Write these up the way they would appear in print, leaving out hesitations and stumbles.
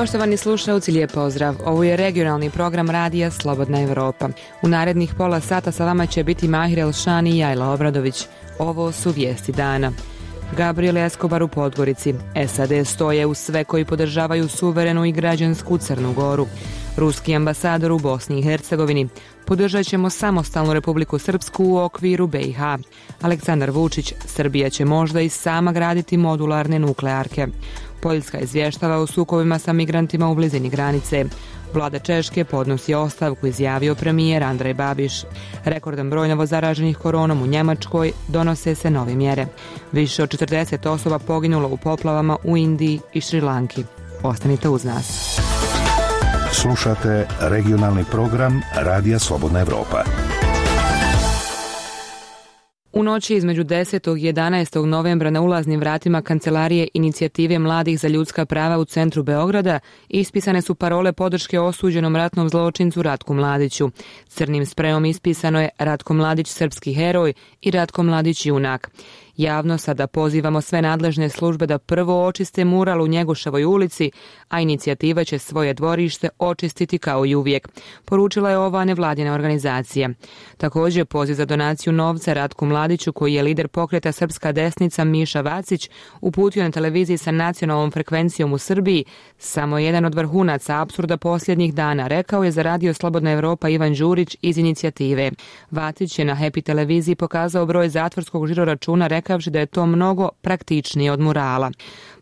Poštovani slušalci, lijep pozdrav. Ovo je regionalni program radija Slobodna Evropa. U narednih pola sata sa vama će biti Mahir Elšani i Jajla Obradović. Ovo su vijesti dana. Gabriel Escobar u Podgorici. SAD stoje uz sve koji podržavaju suverenu i građansku Crnu Goru. Ruski ambasador u Bosni i Hercegovini. Podržat ćemo samostalnu Republiku Srpsku u okviru BiH. Aleksandar Vučić. Srbija će možda i sama graditi modularne nuklearke. Poljska izvještava o sukobima sa migrantima u blizini granice. Vlada Češke podnosi ostavku, izjavio premijer Andrej Babiš. Rekordan broj novozaraženih koronom u Njemačkoj, donose se nove mjere. Više od 40 osoba poginulo u poplavama u Indiji i Šrilanki. Ostanite uz nas. Slušate regionalni program Radija Slobodna Evropa. U noći između 10. i 11. novembra na ulaznim vratima Kancelarije Inicijative mladih za ljudska prava u centru Beograda ispisane su parole podrške osuđenom ratnom zločincu Ratku Mladiću. Crnim sprejom ispisano je Ratko Mladić srpski heroj i Ratko Mladić junak. Javno sada pozivamo sve nadležne službe da prvo očiste mural u Njegoševoj ulici, a inicijativa će svoje dvorište očistiti kao i uvijek, poručila je ova nevladina organizacija. Također poziv za donaciju novca Ratku Mladiću, koji je lider pokreta Srpska desnica Miša Vacić, uputio na televiziji sa nacionalnom frekvencijom u Srbiji, samo jedan od vrhunaca apsurda posljednjih dana, rekao je za Radio Slobodna Evropa Ivan Đurić iz inicijative. Vacić je na Happy televiziji pokazao broj zatvorskog žiroračuna, rekavši da je to mnogo praktičnije od murala.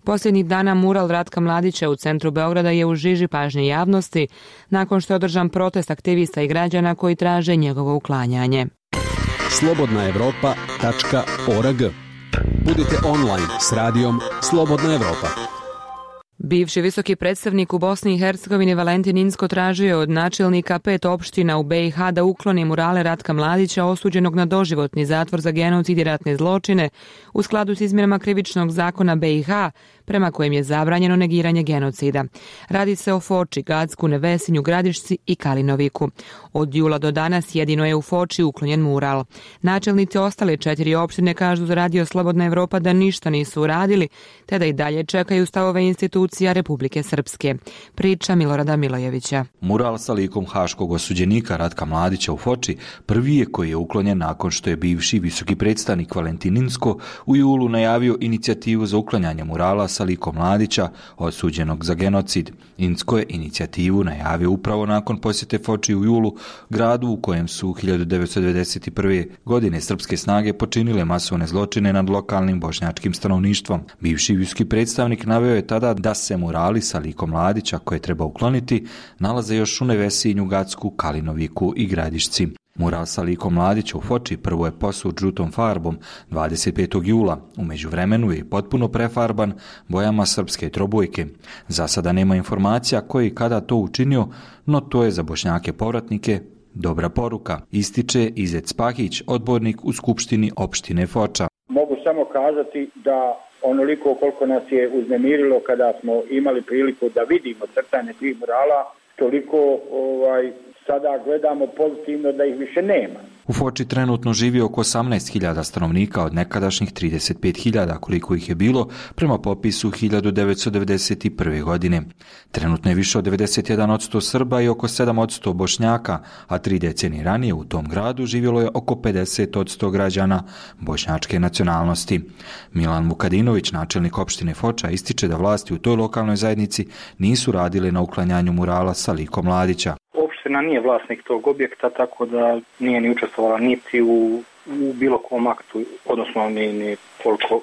Posljednjih dana mural Ratka Mladića u centru Beograda je u žiži pažnje javnosti, nakon što je održan protest aktivista i građana koji traže njegovo uklanjanje. slobodnaevropa.org. Budite online s radijom Slobodna Evropa. Bivši visoki predstavnik u Bosni i Hercegovini Valentin Inzko tražio je od načelnika 5 opština u BiH da ukloni murale Ratka Mladića osuđenog na doživotni zatvor za genocid i ratne zločine u skladu s izmjenama krivičnog zakona BiH, prema kojem je zabranjeno negiranje genocida. Radi se o Foči, Gacku, Nevesinju, Gradišci i Kalinoviku. Od jula do danas jedino je u Foči uklonjen mural. Načelnici ostale 4 opštine kažu za Radio Slobodna Evropa da ništa nisu uradili, te da i dalje čekaju stavove institucija Republike Srpske. Priča Milorada Milojevića. Mural sa likom haškog osuđenika Ratka Mladića u Foči prvi je koji je uklonjen nakon što je bivši visoki predstavnik Valentin Inzko u julu najavio inicijativu za uklanjanje murala sa likom Mladića osuđenog za genocid. Inzko je inicijativu najavio upravo nakon posjete Foči u julu, gradu u kojem su 1991. godine srpske snage počinile masovne zločine nad lokalnim bošnjačkim stanovništvom. Bivši visoki predstavnik naveo je tada da se murali sa likom Mladića koje treba ukloniti nalaze još u Nevesinju, Gacku, Kalinoviku i Gradišci. Mural sa likom Mladića u Foči prvo je posut žutom farbom 25. jula. U međuvremenu je potpuno prefarban bojama srpske trobojke. Za sada nema informacija koji i kada to učinio, no to je za Bošnjake povratnike dobra poruka, ističe Izet Spahić, odbornik u Skupštini opštine Foča. Mogu samo kazati da onoliko koliko nas je uznemirilo kada smo imali priliku da vidimo crtanje tih murala, toliko sada gledamo pozitivno da ih više nema. U Foči trenutno živi oko 18.000 stanovnika od nekadašnjih 35.000 koliko ih je bilo prema popisu 1991. godine. Trenutno je više od 91% Srba i oko 7% Bošnjaka, a 3 decenije ranije u tom gradu živjelo je oko 50% građana bošnjačke nacionalnosti. Milan Vukadinović, načelnik opštine Foča, ističe da vlasti u toj lokalnoj zajednici nisu radile na uklanjanju murala sa likom Mladića. Opština nije vlasnik tog objekta, tako da nije ni učestvovala niti u bilo kom aktu, odnosno ni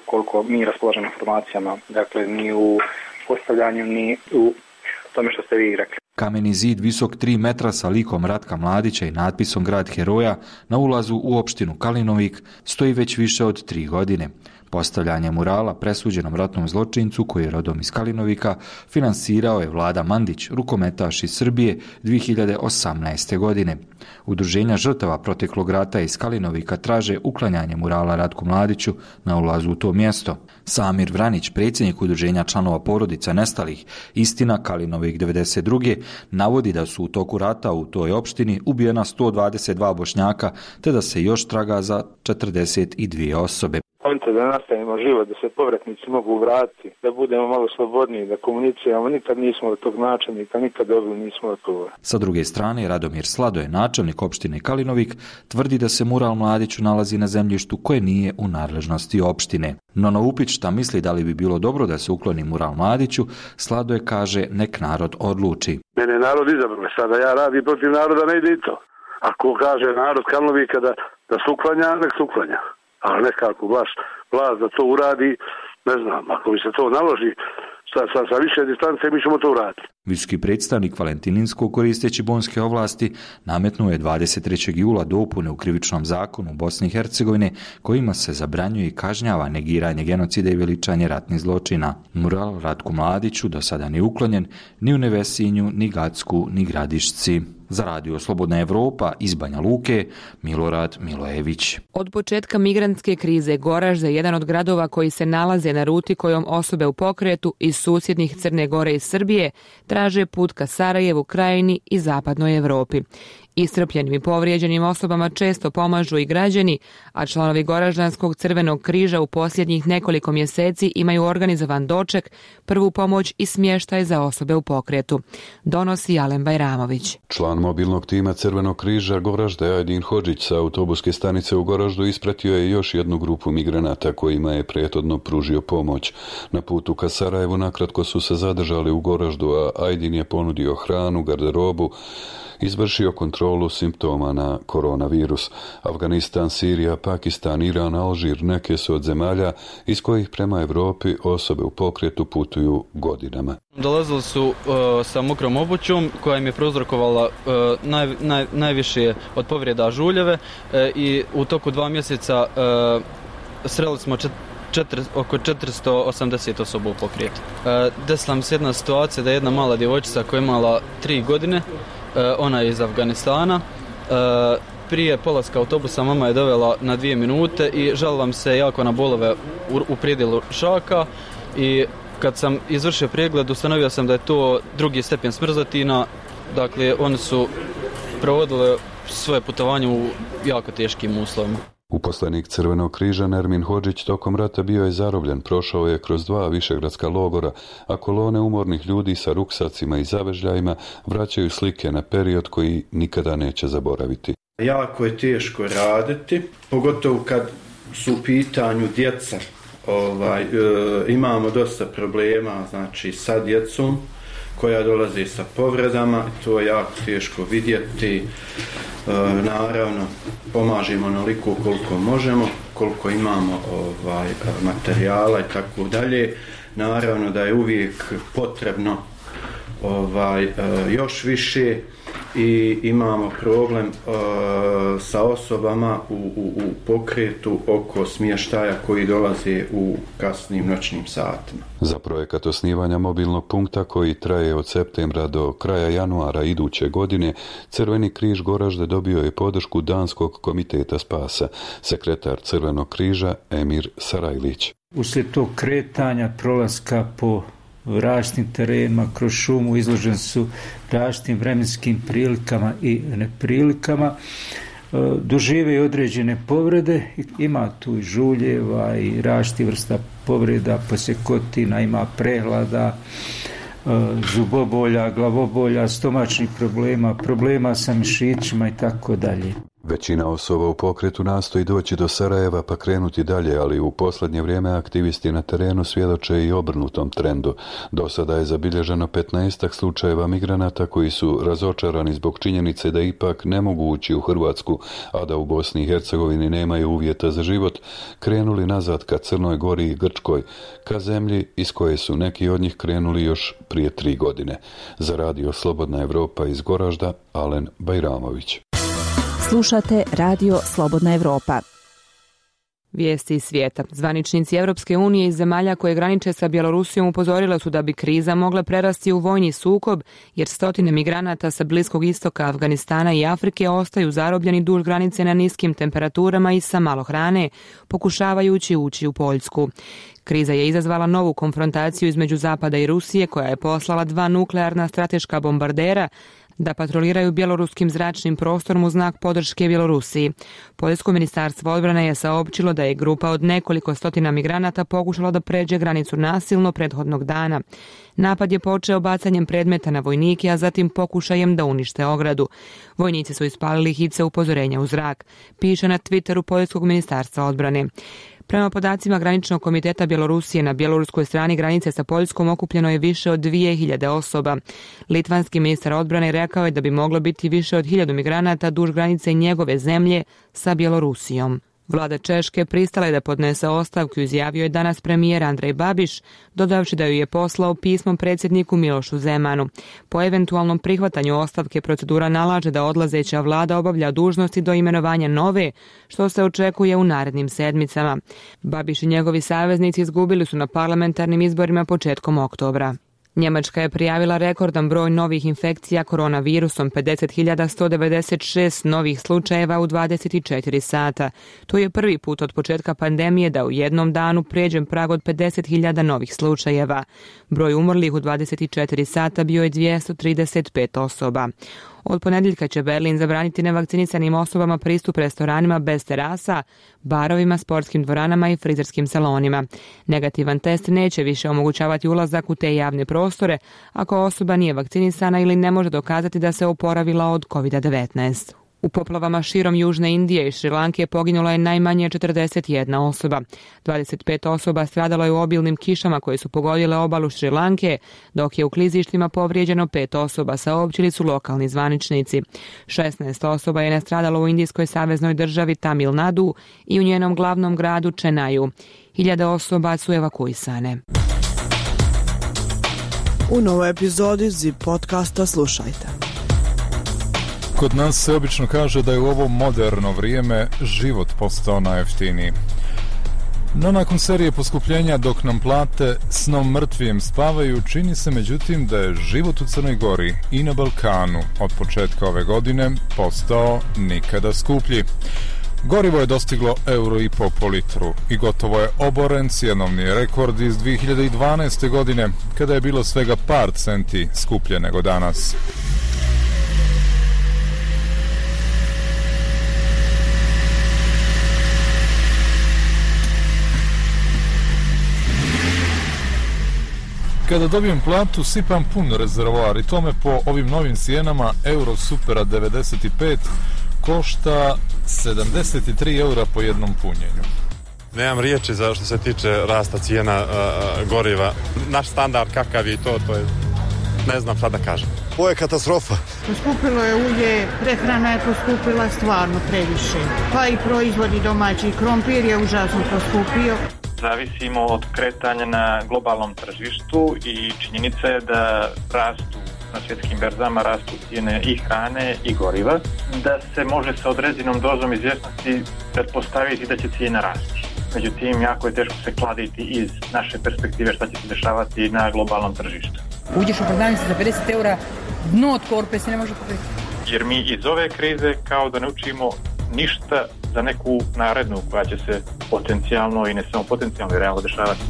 koliko mi raspolažemo informacijama, dakle ni u postavljanju, ni u tome što ste vi rekli. Kameni zid visok 3 metra sa likom Ratka Mladića i natpisom Grad heroja na ulazu u opštinu Kalinovik stoji već više od 3 godine. Postavljanje murala presuđenom ratnom zločincu koji je rodom iz Kalinovika finansirao je Vlada Mandić, rukometaš iz Srbije 2018. godine. Udruženja žrtava proteklog rata iz Kalinovika traže uklanjanje murala Ratku Mladiću na ulazu u to mjesto. Samir Vranić, predsjednik udruženja članova porodica nestalih Istina Kalinovik 92. navodi da su u toku rata u toj opštini ubijena 122 Bošnjaka te da se još traga za 42 osobe. konta da nastavimo život, da se povratnici mogu vratiti, da budemo malo slobodniji, da komuniciramo. Nikad nismo od tog načelnika, nikad dobili nismo odgovor. Sa druge strane, Radomir Sladoje, načelnik opštine Kalinovik, tvrdi da se mural Mladiću nalazi na zemljištu koje nije u nadležnosti opštine. No na upit šta misli da li bi bilo dobro da se ukloni mural Mladiću, Sladoje kaže nek narod odluči. Mene je narod izabrao, sada ja radim protiv naroda, ne ide i to. Ako kaže narod Kalinovika da se uklanja, nek se uklanja. Ali nekako vlast da to uradi, ne znam, ako bi se to naloži sa više distance, mi ćemo to uraditi. Visoki predstavnik Valentininskog, koristeći bonske ovlasti, nametnuo je 23. jula dopune u krivičnom zakonu Bosne i Hercegovine kojima se zabranjuje i kažnjava negiranje genocida i veličanje ratnih zločina. Mural Ratku Mladiću do sada nije uklonjen ni u Nevesinju, ni Gacku, ni Gradišci. Za Radio Slobodna Evropa iz Banja Luke, Milorad Milojević. Od početka migrantske krize Goražde je jedan od gradova koji se nalaze na ruti kojom osobe u pokretu iz susjednih Crne Gore i Srbije traže put ka Sarajevu, Krajini i zapadnoj Evropi. Iscrpljenim i povrijeđenim osobama često pomažu i građani, a članovi Goraždanskog Crvenog križa u posljednjih nekoliko mjeseci imaju organizovan doček, prvu pomoć i smještaj za osobe u pokretu. Donosi Alen Bajramović. Član mobilnog tima Crvenog križa Goražde Ajdin Hodžić sa autobuske stanice u Goraždu ispratio je još jednu grupu migranata kojima je prethodno pružio pomoć. Na putu ka Sarajevu nakratko su se zadržali u Goraždu, a Ajdin je ponudio hranu, garderobu, izvršio kontrolu simptoma na koronavirus. Afganistan, Sirija, Pakistan, Iran, Alžir neke su od zemalja iz kojih prema Europi osobe u pokretu putuju godinama. Dolazili su sa mokrom obućom koja im je prouzrokovala najviše od povreda žuljeve i u toku 2 mjeseca sreli smo oko 480 osoba u pokretu. Desila mi se jedna situacija da je jedna mala djevojčica koja je imala 3 godine, ona je iz Afganistana. Prije polaska autobusa mama je dovela na 2 minute i žalila mi se jako na bolove u predjelu šaka i kad sam izvršio pregled ustanovio sam da je to 2. stepen smrzatina. Dakle, oni su provodili svoje putovanje u jako teškim uslovima. Uposlenik Crvenog križa Nermin Hodžić tokom rata bio je zarobljen, prošao je kroz 2 višegradska logora, a kolone umornih ljudi sa ruksacima i zavežljajima vraćaju slike na period koji nikada neće zaboraviti. Jako je teško raditi, pogotovo kad su u pitanju djeca. Imamo dosta problema, znači, sa djecom koja dolaze sa povredama, to je jako teško vidjeti. Naravno, pomažemo onoliko koliko možemo, koliko imamo materijala i tako dalje. Naravno da je uvijek potrebno još više i imamo problem sa osobama u pokretu oko smještaja koji dolaze u kasnim noćnim satima. Za projekat osnivanja mobilnog punkta koji traje od septembra do kraja januara iduće godine, Crveni križ Goražde dobio je podršku Danskog komiteta spasa, sekretar Crvenog križa Emir Sarajlić. Uslijed tog kretanja, prolaska po različitim terenima, kroz šumu, izložen su različitim vremenskim prilikama i neprilikama, dožive i određene povrede, ima tu i žuljeva i različitih vrsta povreda, posjekotina, ima prehlada, zubobolja, glavobolja, stomačnih problema sa mišićima i tako dalje. Većina osoba u pokretu nastoji doći do Sarajeva pa krenuti dalje, ali u posljednje vrijeme aktivisti na terenu svjedoče i obrnutom trendu. Do sada je zabilježeno 15 slučajeva migranata koji su razočarani zbog činjenice da ipak ne mogu ući u Hrvatsku, a da u Bosni i Hercegovini nemaju uvjeta za život, krenuli nazad ka Crnoj Gori i Grčkoj, ka zemlji iz koje su neki od njih krenuli još prije 3 godine. Za Radio Slobodna Evropa iz Goražda, Alen Bajramović. Slušate Radio Slobodna Evropa. Vijesti iz svijeta. Zvaničnici Europske unije iz zemalja koje graniče sa Bjelorusijom upozorila su da bi kriza mogla prerasti u vojni sukob, jer stotine migranata sa Bliskog istoka, Afganistana i Afrike ostaju zarobljeni duž granice na niskim temperaturama i sa malo hrane, pokušavajući ući u Poljsku. Kriza je izazvala novu konfrontaciju između Zapada i Rusije, koja je poslala 2 nuklearna strateška bombardera, da patroliraju bjeloruskim zračnim prostorom u znak podrške Bjelorusiji. Poljsko ministarstvo odbrane je saopćilo da je grupa od nekoliko stotina migranata pokušala da pređe granicu nasilno prethodnog dana. Napad je počeo bacanjem predmeta na vojnike, a zatim pokušajem da unište ogradu. Vojnici su ispalili hice upozorenja u zrak, piše na Twitteru Poljskog ministarstva odbrane. Prema podacima Graničnog komiteta Bjelorusije, na bjeloruskoj strani granice sa Poljskom okupljeno je više od 2000 osoba. Litvanski ministar odbrane rekao je da bi moglo biti više od 1000 migranata duž granice njegove zemlje sa Bjelorusijom. Vlada Češke pristala je da podnese ostavku, izjavio je danas premijer Andrej Babiš, dodavši da ju je poslao pismom predsjedniku Milošu Zemanu. Po eventualnom prihvatanju ostavke procedura nalaže da odlazeća vlada obavlja dužnosti do imenovanja nove, što se očekuje u narednim sedmicama. Babiš i njegovi saveznici izgubili su na parlamentarnim izborima početkom oktobra. Njemačka je prijavila rekordan broj novih infekcija koronavirusom, 50.196 novih slučajeva u 24 sata. To je prvi put od početka pandemije da u jednom danu pređe prag od 50.000 novih slučajeva. Broj umrlih u 24 sata bio je 235 osoba. Od ponedjeljka će Berlin zabraniti nevakcinisanim osobama pristup restoranima bez terasa, barovima, sportskim dvoranama i frizerskim salonima. Negativan test neće više omogućavati ulazak u te javne prostore ako osoba nije vakcinisana ili ne može dokazati da se oporavila od COVID-19. U poplavama širom Južne Indije i Šrilanke poginulo je najmanje 41 osoba. 25 osoba stradalo je u obilnim kišama koje su pogodile obalu Šrilanke, dok je u klizištima povrijeđeno 5 osoba, saopćili su lokalni zvaničnici. 16 osoba je nastradalo u indijskoj saveznoj državi Tamil Nadu i u njenom glavnom gradu Chennaiu. 1000 osoba su evakuisane. U novoj epizodi ZIP podcasta slušajte. Kod nas se obično kaže da je u ovo moderno vrijeme život postao najjeftiniji. No nakon serije poskupljenja dok nam plate snom mrtvijem spavaju, čini se međutim da je život u Crnoj Gori i na Balkanu od početka ove godine postao nikada skuplji. Gorivo je dostiglo €1,5 po litru i gotovo je oboren cjenovni rekord iz 2012. godine, kada je bilo svega par centi skuplje nego danas. Kada dobijem platu, sipam pun rezervoar i to me po ovim novim cijenama Euro Supera 95 košta 73 eura po jednom punjenju. Nemam riječi za što se tiče rasta cijena goriva. Naš standard kakav je to je, ne znam šta da kažem. Ovo je katastrofa. Poskupilo je ulje, prehrana je poskupila stvarno previše. Pa i proizvodi domaći, krompir je užasno poskupio. Zavisimo od kretanja na globalnom tržištu i činjenica je da rastu na svjetskim berzama, rastu cijene i hrane i goriva, da se može sa određenom dozom izvjesnosti pretpostaviti da će cijena rasti. Međutim, jako je teško se kladiti iz naše perspektive šta će se dešavati na globalnom tržištu. Uđeš u prodavnicu za 50 eura, dno od korpe se ne može kupiti. Jer mi iz ove krize kao da ne učimo ništa za neku narednu koja će se potencijalno i ne samo potencijalno i realno dešavati.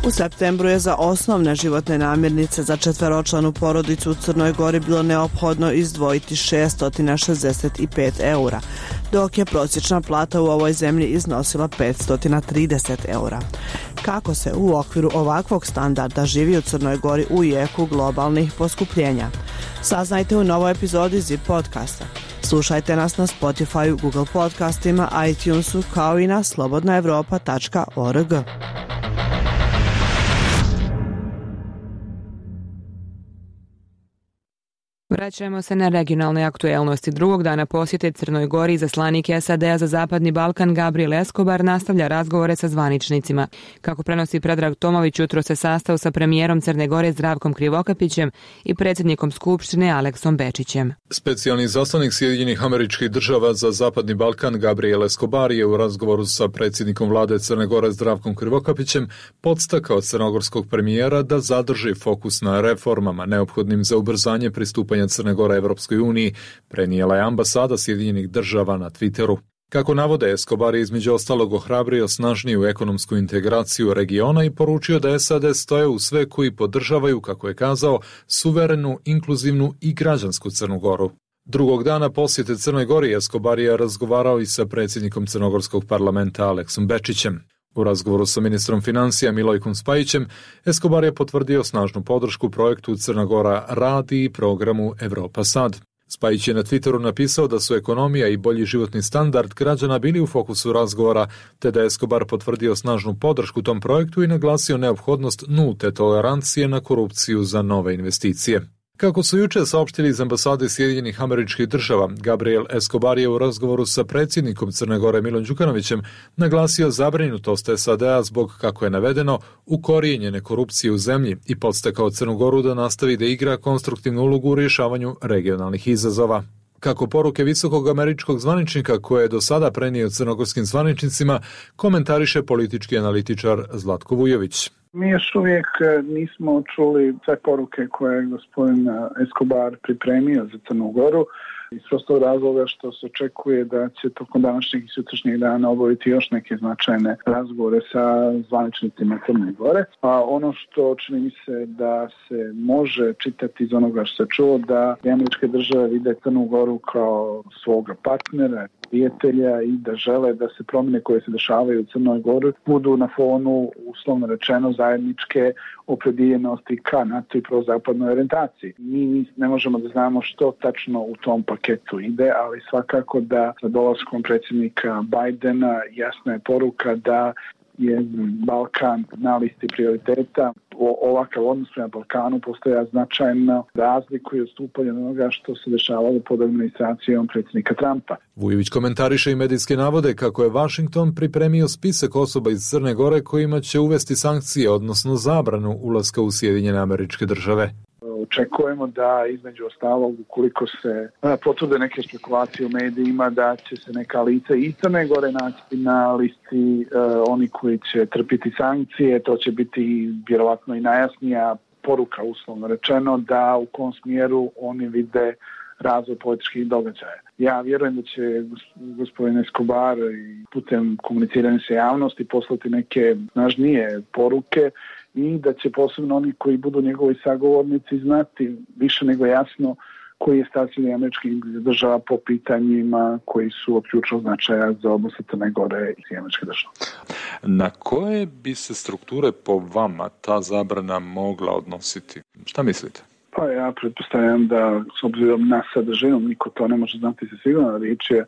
U septembru je za osnovne životne namirnice za četveročlanu porodicu u Crnoj Gori bilo neophodno izdvojiti 665 eura, dok je prosječna plata u ovoj zemlji iznosila 530 eura. Kako se u okviru ovakvog standarda živi u Crnoj Gori u jeku globalnih poskupljenja? Saznajte u novoj epizodi ZIP podcasta. Slušajte nas na Spotify, Google podcastima, iTunesu kao i na slobodnaevropa.org. Vraćamo se na regionalne aktuelnosti. Drugog dana posjete Crnoj Gori izaslanik SAD-a za Zapadni Balkan Gabriel Escobar nastavlja razgovore sa zvaničnicima. Kako prenosi Predrag Tomović, jutro se sastao sa premijerom Crne Gore Zdravkom Krivokapićem i predsjednikom Skupštine Aleksom Bečićem. Specijalni izaslanik Sjedinjenih Američkih Država za Zapadni Balkan Gabriel Escobar je u razgovoru sa predsjednikom vlade Crne Gore Zdravkom Krivokapićem podstakao crnogorskog premijera da zadrži fokus na reformama neophodnim za ubrzanje pristupanja Crne Gore Evropskoj uniji, prenijela je ambasada Sjedinjenih Država na Twitteru. Kako navode, Escobar je između ostalog ohrabrio snažniju ekonomsku integraciju regiona i poručio da SAD stoje u sve koji podržavaju, kako je kazao, suverenu, inkluzivnu i građansku Crnu Goru. Drugog dana posjete Crnoj Gori Escobar je razgovarao i sa predsjednikom Crnogorskog parlamenta Aleksom Bečićem. U razgovoru sa ministrom financija Milojkom Spajićem, Escobar je potvrdio snažnu podršku projektu Crna Gora radi i programu Evropa Sad. Spajić je na Twitteru napisao da su ekonomija i bolji životni standard građana bili u fokusu razgovora, te da je Escobar potvrdio snažnu podršku tom projektu i naglasio neophodnost nulte tolerancije na korupciju za nove investicije. Kako su juče saopštili iz ambasade Sjedinjenih Američkih Država, Gabriel Escobar je u razgovoru sa predsjednikom Crne Gore Milom Đukanovićem naglasio zabrinutost SAD-a zbog, kako je navedeno, ukorijenjene korupcije u zemlji i podstakao Crnu Goru da nastavi da igra konstruktivnu ulogu u rješavanju regionalnih izazova. Kako poruke visokog američkog zvaničnika koje je do sada prenio crnogorskim zvaničnicima, komentariše politički analitičar Zlatko Vujović. Mi još uvijek nismo čuli sve poruke koje je gospodin Escobar pripremio za Crnu Goru iz prostog razloga što se očekuje da će tokom današnjeg i sutrašnjeg dana obaviti još neke značajne razgovore sa zvaničnicima Crne Gore. A ono što čini mi se da se može čitati iz onoga što se čuo, da američke države vide Crnu Goru kao svoga partnera, prijatelja i da žele da se promjene koje se dešavaju u Crnoj Gori budu na fonu, uslovno rečeno, zajedničke opredjeljenosti ka NATO i prozapadnoj orijentaciji. Mi ne možemo da znamo što tačno u tom paketu ide, ali svakako da sa dolaskom predsjednika Bajdena jasna je poruka da je Balkan na listi prioriteta. Ovakav odnos prema Balkanu postoja značajno razliku i odstupanje od onoga što se dešavalo pod administracijom predsjednika Trumpa. Vujović komentariše i medijske navode kako je Washington pripremio spisak osoba iz Crne Gore kojima će uvesti sankcije, odnosno zabranu ulaska u Sjedinjene Američke Države. Očekujemo da između ostalog, ukoliko se potvrde neke špekulacije u medijima, da će se neka lica iz Crne Gore naći na listi oni koji će trpiti sankcije. To će biti vjerovatno i najjasnija poruka, uslovno rečeno, da u kom smjeru oni vide razvoj političkih događaja. Ja vjerujem da će gospodin Escobar putem komuniciranja sa javnosti poslati neke snažnije poruke i da će posebno oni koji budu njegovi sagovornici znati više nego jasno koji je stav Sjedinjenih Američkih Država po pitanjima koji su od ključnog značaja za odnose Crne Gore i Sjedinjenih Američkih Država. Na koje bi se strukture po vama ta zabrana mogla odnositi? Šta mislite? Pa ja pretpostavljam da s obzirom na sadržinu niko to ne može znati se sigurno, riječ je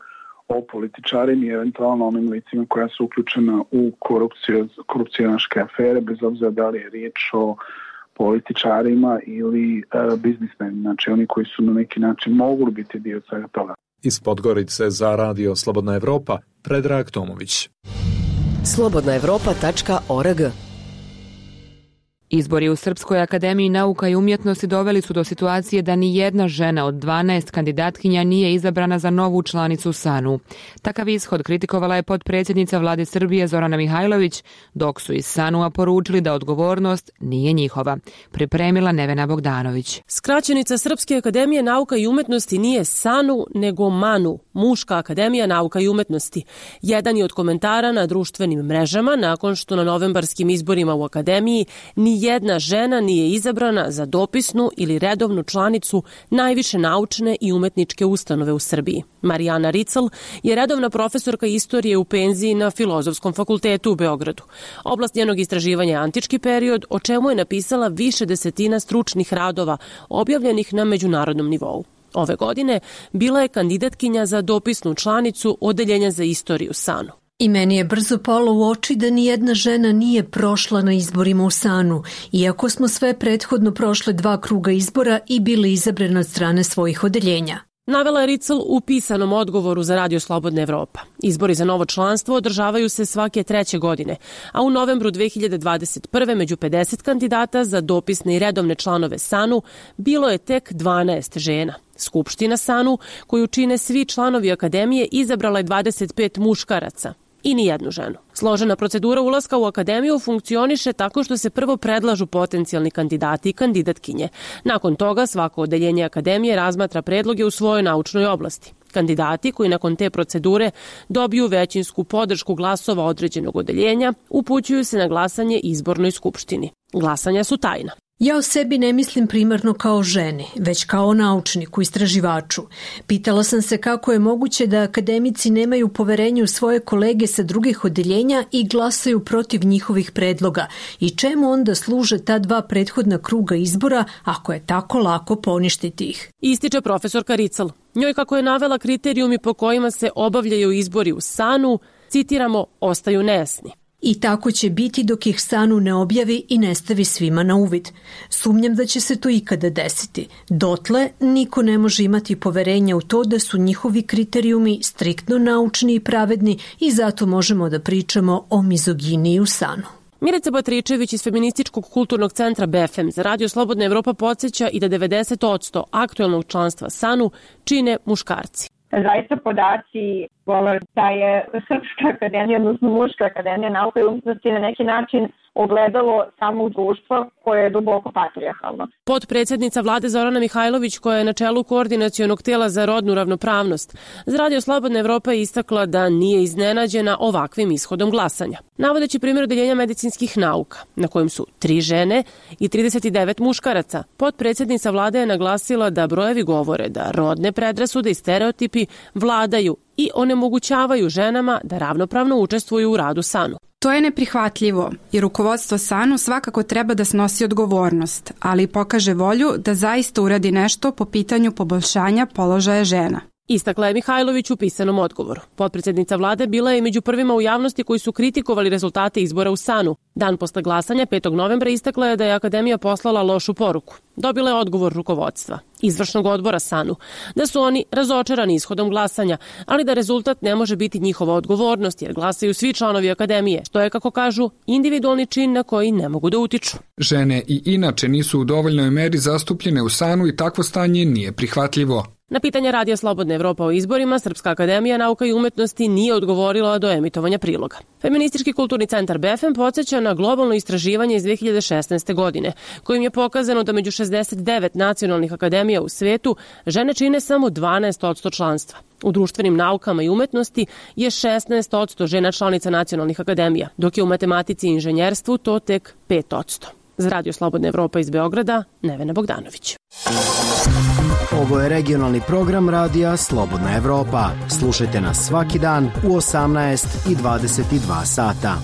o političarima i eventualno onim licima koja su uključena u korupcionaške afere, bez obzira da li je riječ o političarima ili biznismenima, znači oni koji su na neki način mogli biti dio svega toga. Iz Podgorice za Radio Slobodna Evropa, Predrag Tomović. slobodnaevropa.org. Izbori u Srpskoj akademiji nauka i umjetnosti doveli su do situacije da ni jedna žena od 12 kandidatkinja nije izabrana za novu članicu SANU. Takav ishod kritikovala je potpredsjednica Vlade Srbije Zorana Mihajlović, dok su iz SANU-a poručili da odgovornost nije njihova. Pripremila Nevena Bogdanović. Skraćenica Srpske akademije nauka i umjetnosti nije SANU, nego MANU, Muška akademija nauka i umjetnosti. Jedan je od komentara na društvenim mrežama nakon što na novembarskim izborima u akademiji ni jedna žena nije izabrana za dopisnu ili redovnu članicu najviše naučne i umetničke ustanove u Srbiji. Marijana Rical je redovna profesorka istorije u penziji na Filozofskom fakultetu u Beogradu. Oblast njenog istraživanja je antički period, o čemu je napisala više desetina stručnih radova objavljenih na međunarodnom nivou. Ove godine bila je kandidatkinja za dopisnu članicu Odeljenja za istoriju SANU. I meni je brzo palo u oči da ni jedna žena nije prošla na izborima u SANU, iako smo sve prethodno prošle 2 kruga izbora i bili izabrane od strane svojih odeljenja. Navela je Rical u pisanom odgovoru za Radio Slobodna Evropa. Izbori za novo članstvo održavaju se svake 3. godine, a u novembru 2021. među 50 kandidata za dopisne i redovne članove SANU bilo je tek 12 žena. Skupština SANU, koju čine svi članovi akademije, izabrala je 25 muškaraca i ni jednu ženu. Složena procedura ulaska u akademiju funkcioniše tako što se prvo predlažu potencijalni kandidati i kandidatkinje. Nakon toga svako odeljenje akademije razmatra predloge u svojoj naučnoj oblasti. Kandidati koji nakon te procedure dobiju većinsku podršku glasova određenog odeljenja upućuju se na glasanje izbornoj skupštini. Glasanja su tajna. Ja o sebi ne mislim primarno kao ženi, već kao naučniku, istraživaču. Pitala sam se kako je moguće da akademici nemaju poverenje u svoje kolege sa drugih odeljenja i glasaju protiv njihovih predloga i čemu onda služe ta dva prethodna kruga izbora ako je tako lako poništiti ih. Ističe profesorka Rical. Njoj, kako je navela kriterijumi po kojima se obavljaju izbori u SANU, citiramo, ostaju nejasni. I tako će biti dok ih SANU ne objavi i ne stavi svima na uvid. Sumnjam da će se to ikada desiti. Dotle niko ne može imati poverenja u to da su njihovi kriterijumi striktno naučni i pravedni i zato možemo da pričamo o mizoginiji u SANU. Milica Batričević iz Feminističkog kulturnog centra BFM za Radio Slobodna Evropa podsjeća i da 90% aktuelnog članstva SANU čine muškarci. Zaista podaci govore da je Srpska akademija, odnosno Muška akademija nauka i umetnosti na neki način ogledalo samog društva koje je duboko patrijarhalno. Potpredsjednica vlade Zorana Mihajlović, koja je na čelu koordinacionog tela za rodnu ravnopravnost, za Radio Slobodna Evropa je istakla da nije iznenađena ovakvim ishodom glasanja. Navodeći primjer odeljenja medicinskih nauka, na kojem su 3 žene i 39 muškaraca, potpredsjednica vlade je naglasila da brojevi govore da rodne predrasude i stereotipi vladaju i onemogućavaju ženama da ravnopravno učestvuju u radu SANU. To je neprihvatljivo i rukovodstvo SANU svakako treba da snosi odgovornost, ali i pokaže volju da zaista uradi nešto po pitanju poboljšanja položaja žena. Istakla je Mihajlović u pisanom odgovoru. Potpredsjednica vlade bila je među prvima u javnosti koji su kritikovali rezultate izbora u SANU. Dan posle glasanja 5. novembra istakla je da je akademija poslala lošu poruku. Dobila je odgovor rukovodstva, izvršnog odbora SANU, da su oni razočarani ishodom glasanja, ali da rezultat ne može biti njihova odgovornost jer glasaju svi članovi akademije, što je, kako kažu, individualni čin na koji ne mogu da utiču. Žene i inače nisu u dovoljnoj meri zastupljene u SANU i takvo stanje nije prihvatljivo. Na pitanje Radija Slobodna Evropa o izborima, Srpska akademija nauka i umetnosti nije odgovorila do emitovanja priloga. Feministički kulturni centar BFM podsjeća na globalno istraživanje iz 2016. godine, kojim je pokazano da među 69 nacionalnih akademija u svetu žene čine samo 12% članstva. U društvenim naukama i umetnosti je 16% žena članica nacionalnih akademija, dok je u matematici i inženjerstvu to tek 5%. Za Radio Slobodna Evropa iz Beograda, Nevena Bogdanović. Ovo je regionalni program Radija Slobodna Evropa. Slušajte nas svaki dan u 18 i 22 sata.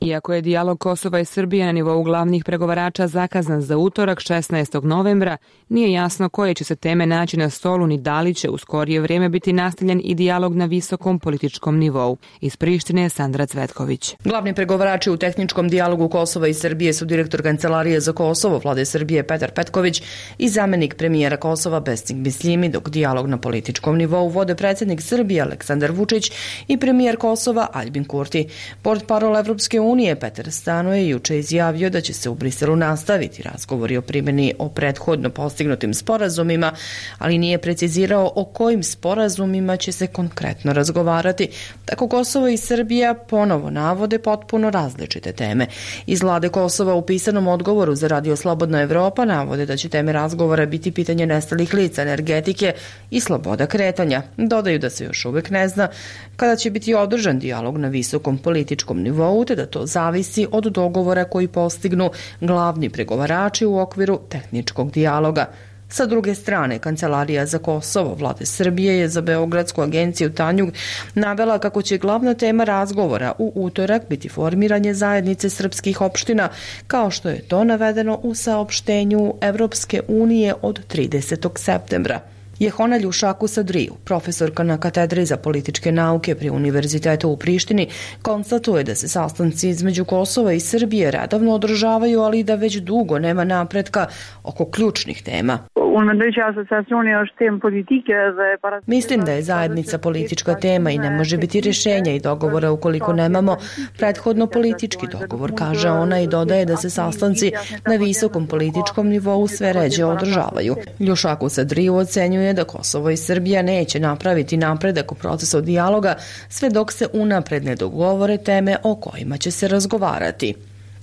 Iako je dijalog Kosova i Srbije na nivou glavnih pregovarača zakazan za utorak 16. novembra, nije jasno koje će se teme naći na stolu ni da li će u skorije vrijeme biti nastavljen i dijalog na visokom političkom nivou. Iz Prištine je Sandra Cvetković. Glavni pregovarači u tehničkom dijalogu Kosova i Srbije su direktor Kancelarije za Kosovo vlade Srbije Petar Petković i zamjenik premijera Kosova Besnik Bisljimi, dok dijalog na političkom nivou vode predsjednik Srbije Aleksandar Vučić i premijer Kosova Aljbin Kurti. Portparol Evropske unije Petar Stano je juče izjavio da će se u Briselu nastaviti razgovori o primjeni o prethodno postignutim sporazumima, ali nije precizirao o kojim sporazumima će se konkretno razgovarati. Tako Kosovo i Srbija ponovo navode potpuno različite teme. Iz vlade Kosova u pisanom odgovoru za Radio Slobodna Evropa navode da će teme razgovora biti pitanje nestalih lica, energetike i sloboda kretanja. Dodaju da se još uvijek ne zna kada će biti održan dijalog na visokom političkom nivou, te da to zavisi od dogovora koji postignu glavni pregovarači u okviru tehničkog dijaloga. Sa druge strane, Kancelarija za Kosovo vlade Srbije je za Beogradsku agenciju Tanjug navela kako će glavna tema razgovora u utorak biti formiranje zajednice srpskih opština, kao što je to navedeno u saopštenju Evropske unije od 30. septembra. Jehona Ljušakus Adriju, profesorka na katedri za političke nauke pri Univerzitetu u Prištini, konstatuje da se sastanci između Kosova i Srbije redovno održavaju, ali da već dugo nema napretka oko ključnih tema. Mislim da je zajednica politička tema i ne može biti rješenja i dogovora ukoliko nemamo prethodno politički dogovor, kaže ona i dodaje da se sastanci na visokom političkom nivou sve ređe održavaju. Ljušakus Adriju ocenjuje da Kosovo i Srbija neće napraviti napredak u procesu dijaloga sve dok se unapred ne dogovore teme o kojima će se razgovarati.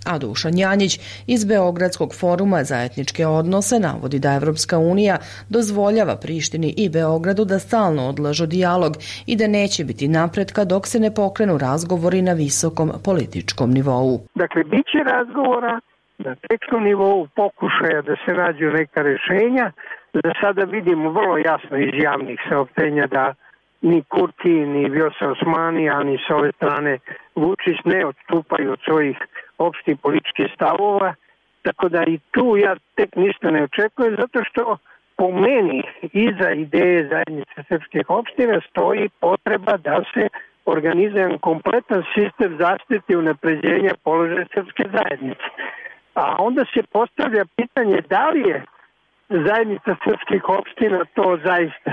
A Dušan Janjić iz Beogradskog foruma za etničke odnose navodi da Evropska unija dozvoljava Prištini i Beogradu da stalno odlažu dijalog i da neće biti napretka dok se ne pokrenu razgovori na visokom političkom nivou. Dakle, bit će razgovora na tehničkom nivou, pokušaja da se nađu neka rešenja. Za sada vidimo vrlo jasno iz javnih saopštenja da ni Kurti, ni Vjosa Osmani, a ni s ove strane Vučić ne odstupaju od svojih opštih političkih stavova. Tako da i tu ja tek ništa ne očekujem, zato što po meni iza ideje zajednice srpskih opština stoji potreba da se organizuje kompletan sistem zaštite i unapređenja položaja srpske zajednice. A onda se postavlja pitanje da li je zajednica srpskih opština to zaista,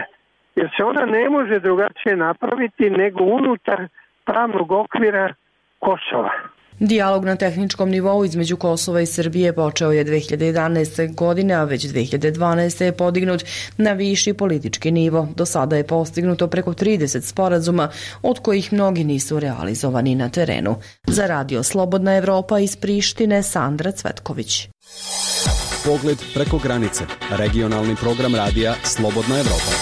jer se ona ne može drugačije napraviti nego unutar pravnog okvira Kosova. Dijalog na tehničkom nivou između Kosova i Srbije počeo je 2011. godine, a već 2012. je podignut na viši politički nivo. Do sada je postignuto preko 30 sporazuma, od kojih mnogi nisu realizovani na terenu. Za Radio Slobodna Evropa iz Prištine, Sandra Cvetković. Pogled preko granice. Regionalni program radija Slobodna Evropa.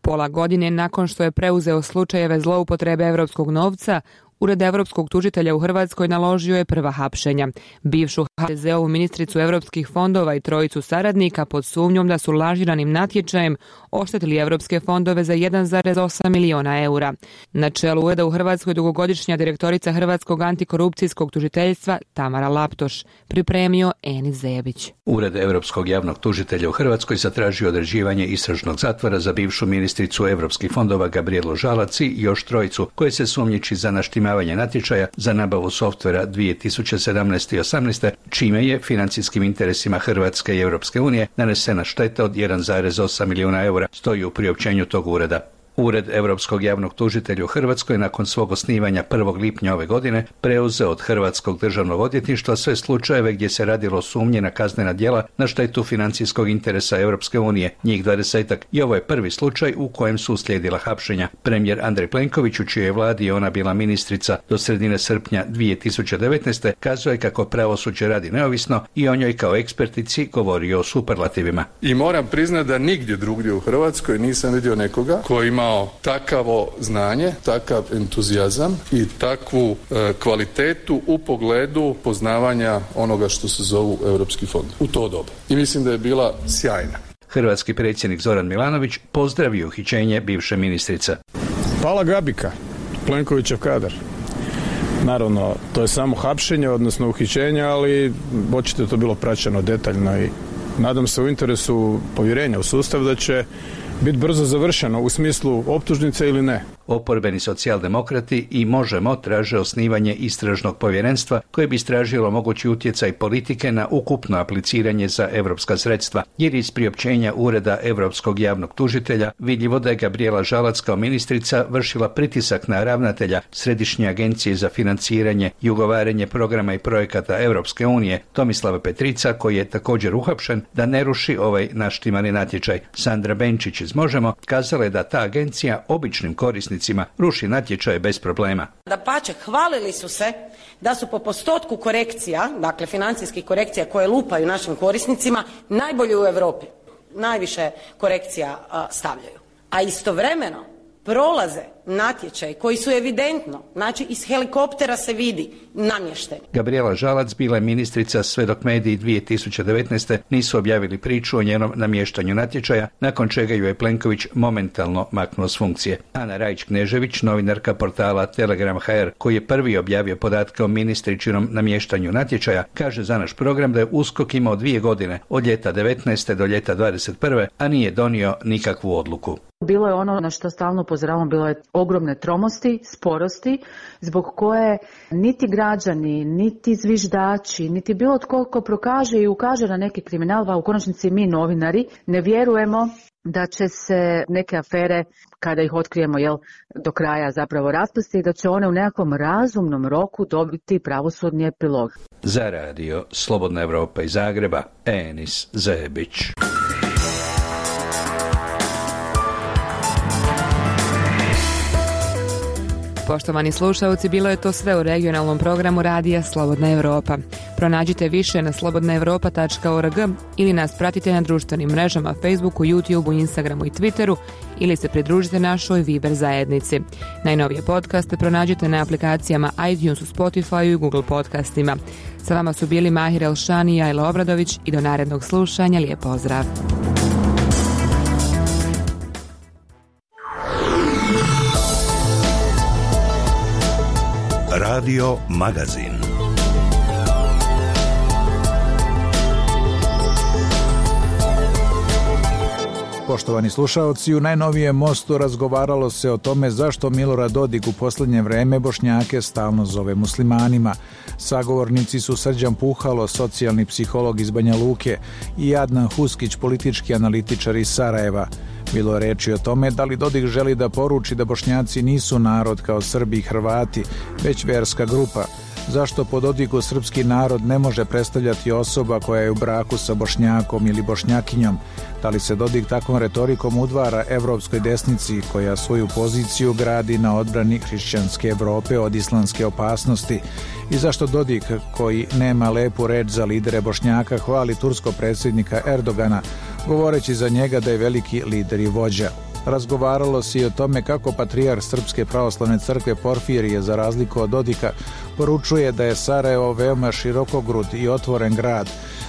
Pola godine nakon što je preuzeo slučajeve zloupotrebe evropskog novca, Ured evropskog tužitelja u Hrvatskoj naložio je prva hapšenja. Bivšu HDZ-ovu ministricu evropskih fondova i trojicu saradnika pod sumnjom da su lažiranim natječajem oštetili evropske fondove za 1,8 miliona eura. Na čelu ureda u Hrvatskoj dugogodišnja direktorica Hrvatskog antikorupcijskog tužiteljstva Tamara Laptoš, pripremio Enis Zebić. Ured evropskog javnog tužitelja u Hrvatskoj zatražio određivanje istražnog zatvora za bivšu ministricu evropskih fondova Gabrijelu Žalac i još trojicu koje se sumnjiči za naštimavanje natječaja za nabavu softvera 2017. i 2018. čime je financijskim interesima Hrvatske i Europske unije nanesena šteta od 1,8 milijuna eura, stoji u priopćenju tog ureda. Ured Europskog javnog tužitelja u Hrvatskoj nakon svog osnivanja 1. lipnja ove godine preuzeo od Hrvatskog državnog odvjetništva sve slučajeve gdje se radilo o sumnji na kaznena djela na štetu financijskog interesa Europske unije, njih 20-ak, i ovo je prvi slučaj u kojem su uslijedila hapšenja. Premijer Andrej Plenković, u čijoj vladi je ona bila ministrica do sredine srpnja 2019. kazao je kako pravosuđe radi neovisno i o njoj kao ekspertici govorio o superlativima. I moram priznati da nigdje drugdje u Hrvatskoj nisam vidio nekoga koji imao takavo znanje, takav entuzijazam i takvu kvalitetu u pogledu poznavanja onoga što se zovu europski fond u to doba. I mislim da je bila sjajna. Hrvatski predsjednik Zoran Milanović pozdravio uhićenje bivše ministrice. Pala Gabika, Plenkovićev kadar. Naravno, to je samo hapšenje, odnosno uhićenje, ali očito je to bilo praćeno detaljno i nadam se u interesu povjerenja u sustav da će biti brzo završeno u smislu optužnice ili ne. Oporbeni socijaldemokrati i Možemo traže osnivanje istražnog povjerenstva koje bi istražilo mogući utjecaj politike na ukupno apliciranje za evropska sredstva, jer iz priopćenja Ureda Europskog javnog tužitelja vidljivo da je Gabrijela Žalac kao ministrica vršila pritisak na ravnatelja Središnje agencije za financiranje i ugovaranje programa i projekata Europske unije Tomislava Petrica, koji je također uhapšen, da ne ruši ovaj naštimani natječaj. Sandra Benčić iz Možemo kazala je da ta agencija običnim korisnicima ruši natječaje bez problema. Dapače, hvalili su se da su po postotku korekcija, dakle financijskih korekcija koje lupaju našim korisnicima, najbolji u Europi. Najviše korekcija stavljaju. A istovremeno prolaze natječaji koji su evidentno, znači iz helikoptera se vidi, namješteni. Gabrijela Žalac bila je ministrica sve dok mediji 2019. nisu objavili priču o njenom namještanju natječaja, nakon čega ju je Plenković momentalno maknuo s funkcije. Ana Rajić-Knežević, novinarka portala Telegram.hr, koji je prvi objavio podatke o ministričinom namještanju natječaja, kaže za naš program da je USKOK imao 2 godine, od ljeta 19. do ljeta 21. a nije donio nikakvu odluku. Bilo je ono na što stalno upozoravam, bilo je ogromne tromosti, sporosti, zbog koje niti građani, niti zviždači, niti bilo tko ko prokaže i ukaže na neki kriminal, a u konačnici mi novinari ne vjerujemo da će se neke afere, kada ih otkrijemo do kraja zapravo raspasti i da će one u nekakvom razumnom roku dobiti pravosudni epilog. Za radio Slobodna Evropa iz Zagreba, Enis Zebić. Poštovani slušalci, bilo je to sve u regionalnom programu radija Slobodna Evropa. Pronađite više na slobodnaevropa.org ili nas pratite na društvenim mrežama Facebooku, YouTubeu, Instagramu i Twitteru ili se pridružite našoj Viber zajednici. Najnovije podcaste pronađite na aplikacijama iTunes, Spotify i Google podcastima. Sa vama su bili Mahir Elšani i Jajla Obradović i do narednog slušanja lijep pozdrav. Radio Magazin. Poštovani slušaoci, u najnovijem Mostu razgovaralo se o tome zašto Milorad Dodik u posljednje vreme Bošnjake stalno zove muslimanima. Sagovornici su Srđan Puhalo, socijalni psiholog iz Banja Luke, i Adnan Huskić, politički analitičar iz Sarajeva. Bilo je reči o tome da li Dodik želi da poruči da Bošnjaci nisu narod kao Srbi i Hrvati, već verska grupa. Zašto po Dodiku srpski narod ne može predstavljati osoba koja je u braku sa Bošnjakom ili Bošnjakinjom? Da li se Dodik takvom retorikom udvara evropskoj desnici koja svoju poziciju gradi na odbrani hrišćanske Evrope od islamske opasnosti? I zašto Dodik, koji nema lepu reč za lidere Bošnjaka, hvali turskog predsjednika Erdogana, govoreći za njega da je veliki lider i vođa? Razgovaralo se i o tome kako patrijarh Srpske pravoslavne crkve Porfirije, za razliku od Dodika, poručuje da je Sarajevo veoma širokogrud i otvoren grad.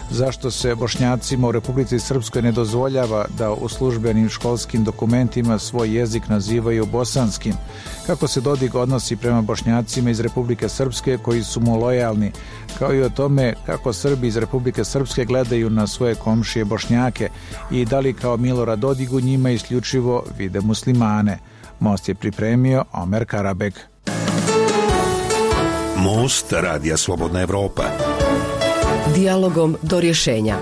Zašto se Bošnjacima u Republici Srpskoj ne dozvoljava da u službenim školskim dokumentima svoj jezik nazivaju bosanskim? Kako se Dodik odnosi prema Bošnjacima iz Republike Srpske koji su mu lojalni, kao i o tome kako Srbi iz Republike Srpske gledaju na svoje komšije Bošnjake i da li kao Milorad Dodik u njima isključivo vide muslimane. Most je pripremio Omer Karabek. Most radija Slobodna Evropa. Dijalogom do rješenja.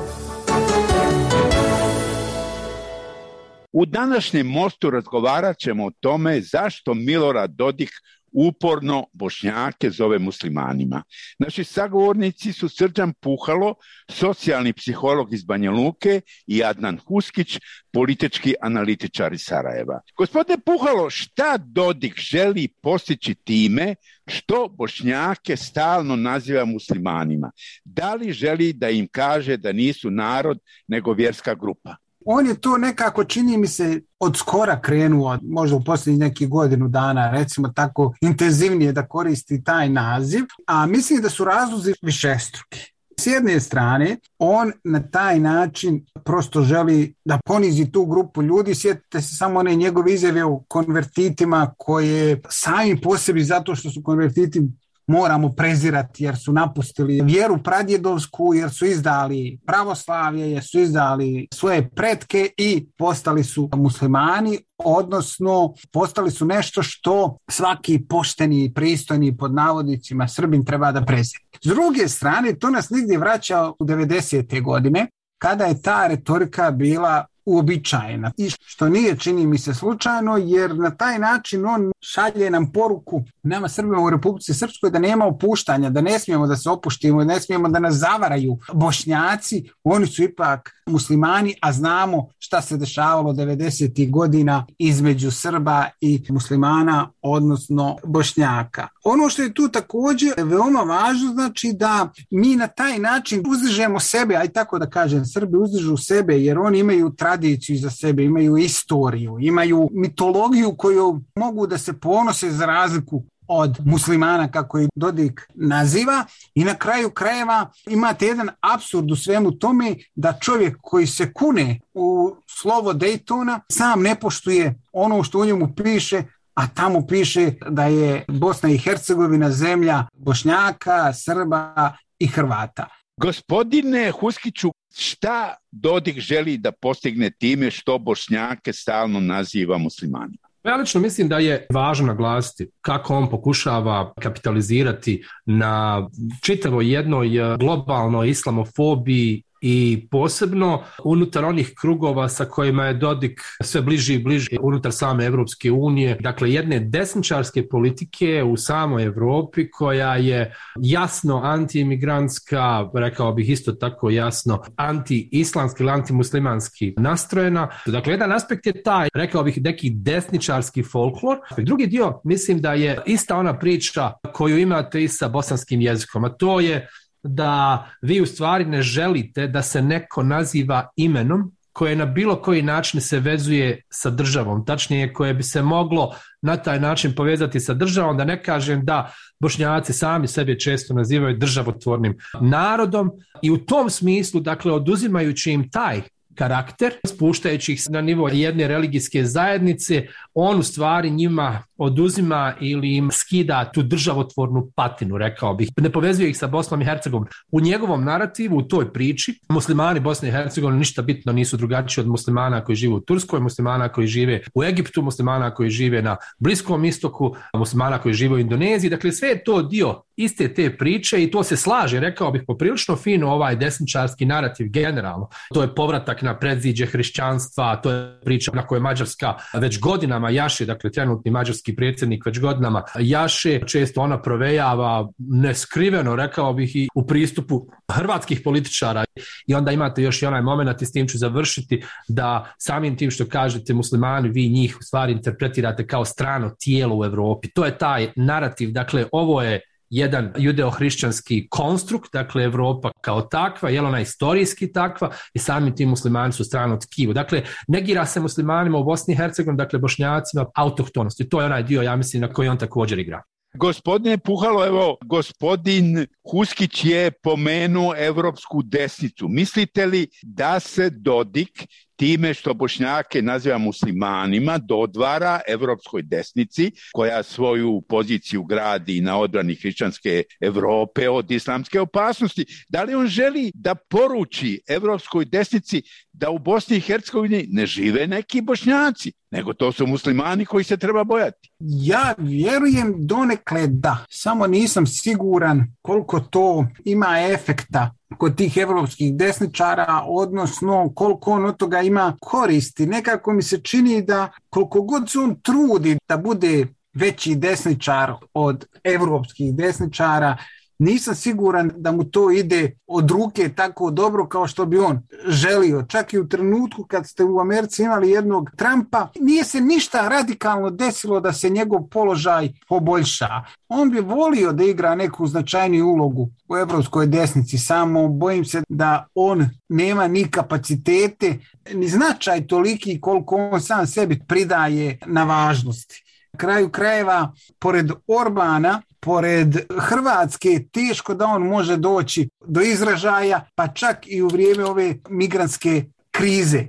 U današnjem Mostu razgovarat ćemo o tome zašto Milorad Dodik uporno Bošnjake zove muslimanima. Naši sagovornici su Srđan Puhalo, socijalni psiholog iz Banja Luke, i Adnan Huskić, politički analitičar iz Sarajeva. Gospodine Puhalo, šta Dodik želi postići time što Bošnjake stalno naziva muslimanima? Da li želi da im kaže da nisu narod nego vjerska grupa? On je to nekako, čini mi se, od skora krenuo, možda u posljednjih nekih godinu dana, recimo tako, intenzivnije da koristi taj naziv, a mislim da su razlozi višestruki. S jedne strane, on na taj način prosto želi da ponizi tu grupu ljudi. Sjetite se samo one njegove izjave o konvertitima koje sami po sebi, zato što su konvertiti, moramo prezirati jer su napustili vjeru pradjedovsku, jer su izdali pravoslavlje, jer su izdali svoje pretke i postali su muslimani, odnosno postali su nešto što svaki pošteni, pristojni, pod navodnicima, Srbin treba da prezira. S druge strane, to nas nigdje vraća u 90. godine, kada je ta retorika bila uobičajena. I što nije, čini mi se, slučajno, jer na taj način on šalje nam poruku nama Srbima u Republici Srpskoj da nema opuštanja, da ne smijemo da se opuštimo, ne smijemo da nas zavaraju Bošnjaci, oni su ipak muslimani, a znamo šta se dešavalo 90. godina između Srba i muslimana, odnosno Bošnjaka. Ono što je tu također veoma važno, znači da mi na taj način uzdižemo sebe, aj tako da kažem, Srbi uzdižu sebe jer oni imaju tradiciju za sebe, imaju istoriju, imaju mitologiju koju mogu da se ponose za razliku od muslimana, kako ih Dodik naziva, i na kraju krajeva imate jedan apsurd u svemu tome da čovjek koji se kune u slovo Dejtona sam ne poštuje ono što u njemu piše, a tamo piše da je Bosna i Hercegovina zemlja Bošnjaka, Srba i Hrvata. Gospodine Huskiću, šta Dodik želi da postigne time što Bošnjake stalno naziva muslimanima? Ja lično mislim da je važno naglasiti kako on pokušava kapitalizirati na čitavoj jednoj globalnoj islamofobiji i posebno unutar onih krugova sa kojima je Dodik sve bliži i bliži unutar same Evropske unije, dakle jedne desničarske politike u samoj Evropi koja je jasno antiimigrantska, rekao bih isto tako jasno anti-islamski ili antimuslimanski nastrojena. Dakle, jedan aspekt je taj, rekao bih, neki desničarski folklor. Drugi dio, mislim da je ista ona priča koju imate i sa bosanskim jezikom, a to je da vi u stvari ne želite da se neko naziva imenom koje na bilo koji način se vezuje sa državom, tačnije koje bi se moglo na taj način povezati sa državom, da ne kažem da Bošnjaci sami sebe često nazivaju državotvornim narodom i u tom smislu, dakle, oduzimajući im taj karakter, spuštajući ih na nivo jedne religijske zajednice, on u stvari njima oduzima ili im skida tu državotvornu patinu, rekao bih. Ne povezuje ih sa Bosnom i Hercegovinom. U njegovom narativu, u toj priči, muslimani Bosne i Hercegovine ništa bitno nisu drugačiji od muslimana koji žive u Turskoj, muslimana koji žive u Egiptu, muslimana koji žive na Bliskom istoku, muslimana koji žive u Indoneziji. Dakle, sve je to dio iste te priče i to se slaže, rekao bih, poprilično fino ovaj desničarski narativ generalno. To je povratak na predziđe hrišćanstva, to je priča na kojoj Mađarska već godinama jaše, dakle trenutni mađarski predsjednik već godinama jaše, često ona provejava neskriveno, rekao bih, i u pristupu hrvatskih političara. I onda imate još i onaj moment, i s tim ću završiti, da samim tim što kažete muslimani, vi njih u stvari interpretirate kao strano tijelo u Evropi. To je taj narativ, dakle ovo je jedan judeo-hrišćanski konstrukt, dakle Evropa kao takva, je li ona istorijski takva i sami ti muslimani su strano tkivo. Dakle, negira se muslimanima u Bosni i Hercegovini, dakle Bošnjacima, autohtonost. I to je onaj dio, ja mislim, na koji on također igra. Gospodine Puhalo, evo, gospodin Huskić je pomenuo evropsku desnicu. Mislite li da se Dodik time što Bošnjake naziva muslimanima dodvara evropskoj desnici koja svoju poziciju gradi na odbrani hrišćanske Evrope od islamske opasnosti? Da li on želi da poruči evropskoj desnici da u Bosni i Hercegovini ne žive neki Bošnjaci, nego to su muslimani koji se treba bojati? Ja vjerujem donekle da, samo nisam siguran koliko to ima efekta kod tih evropskih desničara, odnosno koliko on od toga ima koristi. Nekako mi se čini da koliko god se on trudi da bude veći desničar od evropskih desničara, nisam siguran da mu to ide od ruke tako dobro kao što bi on želio. Čak i u trenutku kad ste u Americi imali jednog Trumpa, nije se ništa radikalno desilo da se njegov položaj poboljša. On bi volio da igra neku značajniju ulogu u evropskoj desnici, samo bojim se da on nema ni kapacitete, ni značaj toliki koliko on sam sebi pridaje na važnosti. Na kraju krajeva, pored Orbana, pored Hrvatske, teško da on može doći do izražaja, pa čak i u vrijeme ove migrantske krize.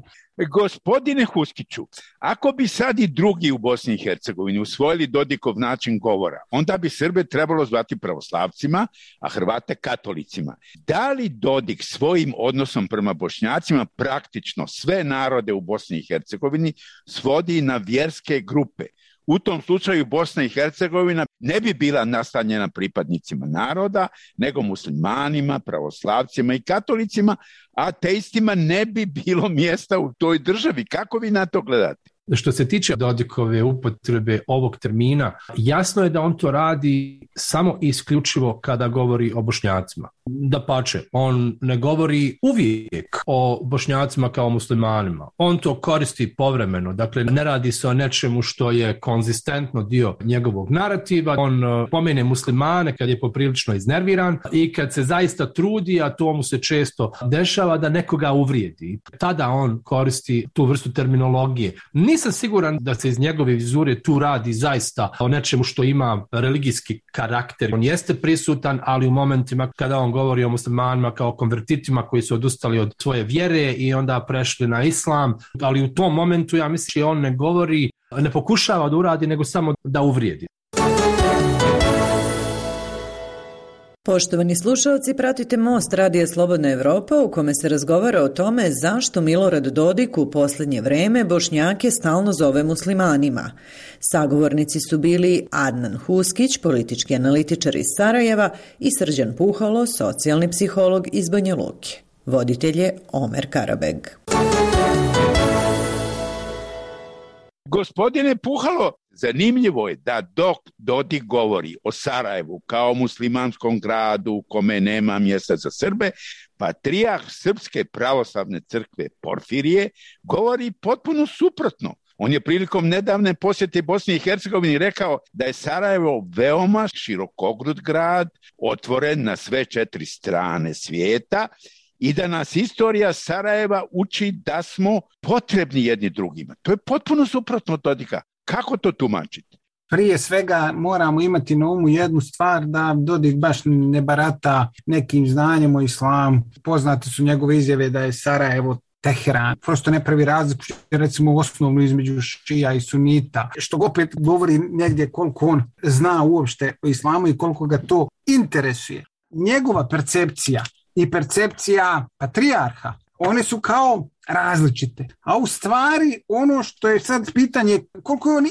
Gospodine Huskiću, ako bi sad i drugi u Bosni i Hercegovini usvojili Dodikov način govora, onda bi Srbe trebalo zvati pravoslavcima, a Hrvate katolicima. Da li Dodik svojim odnosom prema Bošnjacima praktično sve narode u Bosni i Hercegovini svodi na vjerske grupe? U tom slučaju Bosna i Hercegovina ne bi bila nastanjena pripadnicima naroda, nego muslimanima, pravoslavcima i katolicima, a ateistima ne bi bilo mjesta u toj državi. Kako vi na to gledate? Što se tiče Dodikove upotrebe ovog termina, jasno je da on to radi samo i isključivo kada govori o Bošnjacima. Dapače, on ne govori uvijek o Bošnjacima kao muslimanima. On to koristi povremeno, dakle ne radi se o nečemu što je konzistentno dio njegovog narativa. On pomene muslimane kad je poprilično iznerviran i kad se zaista trudi, a to mu se često dešava, da nekoga uvrijedi. Tada on koristi tu vrstu terminologije. Nisam siguran da se iz njegove vizure tu radi zaista o nečemu što ima religijski karakter. On jeste prisutan, ali u momentima kada on govori o muslimanima kao konvertitima koji su odustali od svoje vjere i onda prešli na islam, ali u tom momentu ja mislim da on ne govori, ne pokušava da uradi, nego samo da uvrijedi. Poštovani slušalci, pratite Most Radija Slobodna Evropa u kome se razgovara o tome zašto Milorad Dodik u posljednje vreme Bošnjake stalno zove muslimanima. Sagovornici su bili Adnan Huskić, politički analitičar iz Sarajeva, i Srđan Puhalo, socijalni psiholog iz Banja Luke. Voditelj je Omer Karabeg. Gospodine Puhalo, zanimljivo je da dok Dodik govori o Sarajevu kao muslimanskom gradu u kome nema mjesta za Srbe, patrijarh Srpske pravoslavne crkve Porfirije govori potpuno suprotno. On je prilikom nedavne posjete Bosni i Hercegovini rekao da je Sarajevo veoma širokogrud grad, otvoren na sve 4 strane svijeta i da nas istorija Sarajeva uči da smo potrebni jedni drugima. To je potpuno suprotno od Dodika. Kako to tumačite? Prije svega moramo imati na umu jednu stvar, da Dodik baš ne barata nekim znanjem o islamu. Poznate su njegove izjave da je Sarajevo Teheran. Prosto ne pravi razliku, recimo osnovno između šija i sunita, što opet govori negdje koliko on zna uopšte o islamu i koliko ga to interesuje. Njegova percepcija i percepcija patrijarha, one su kao različite. A u stvari ono što je sad pitanje, koliko je on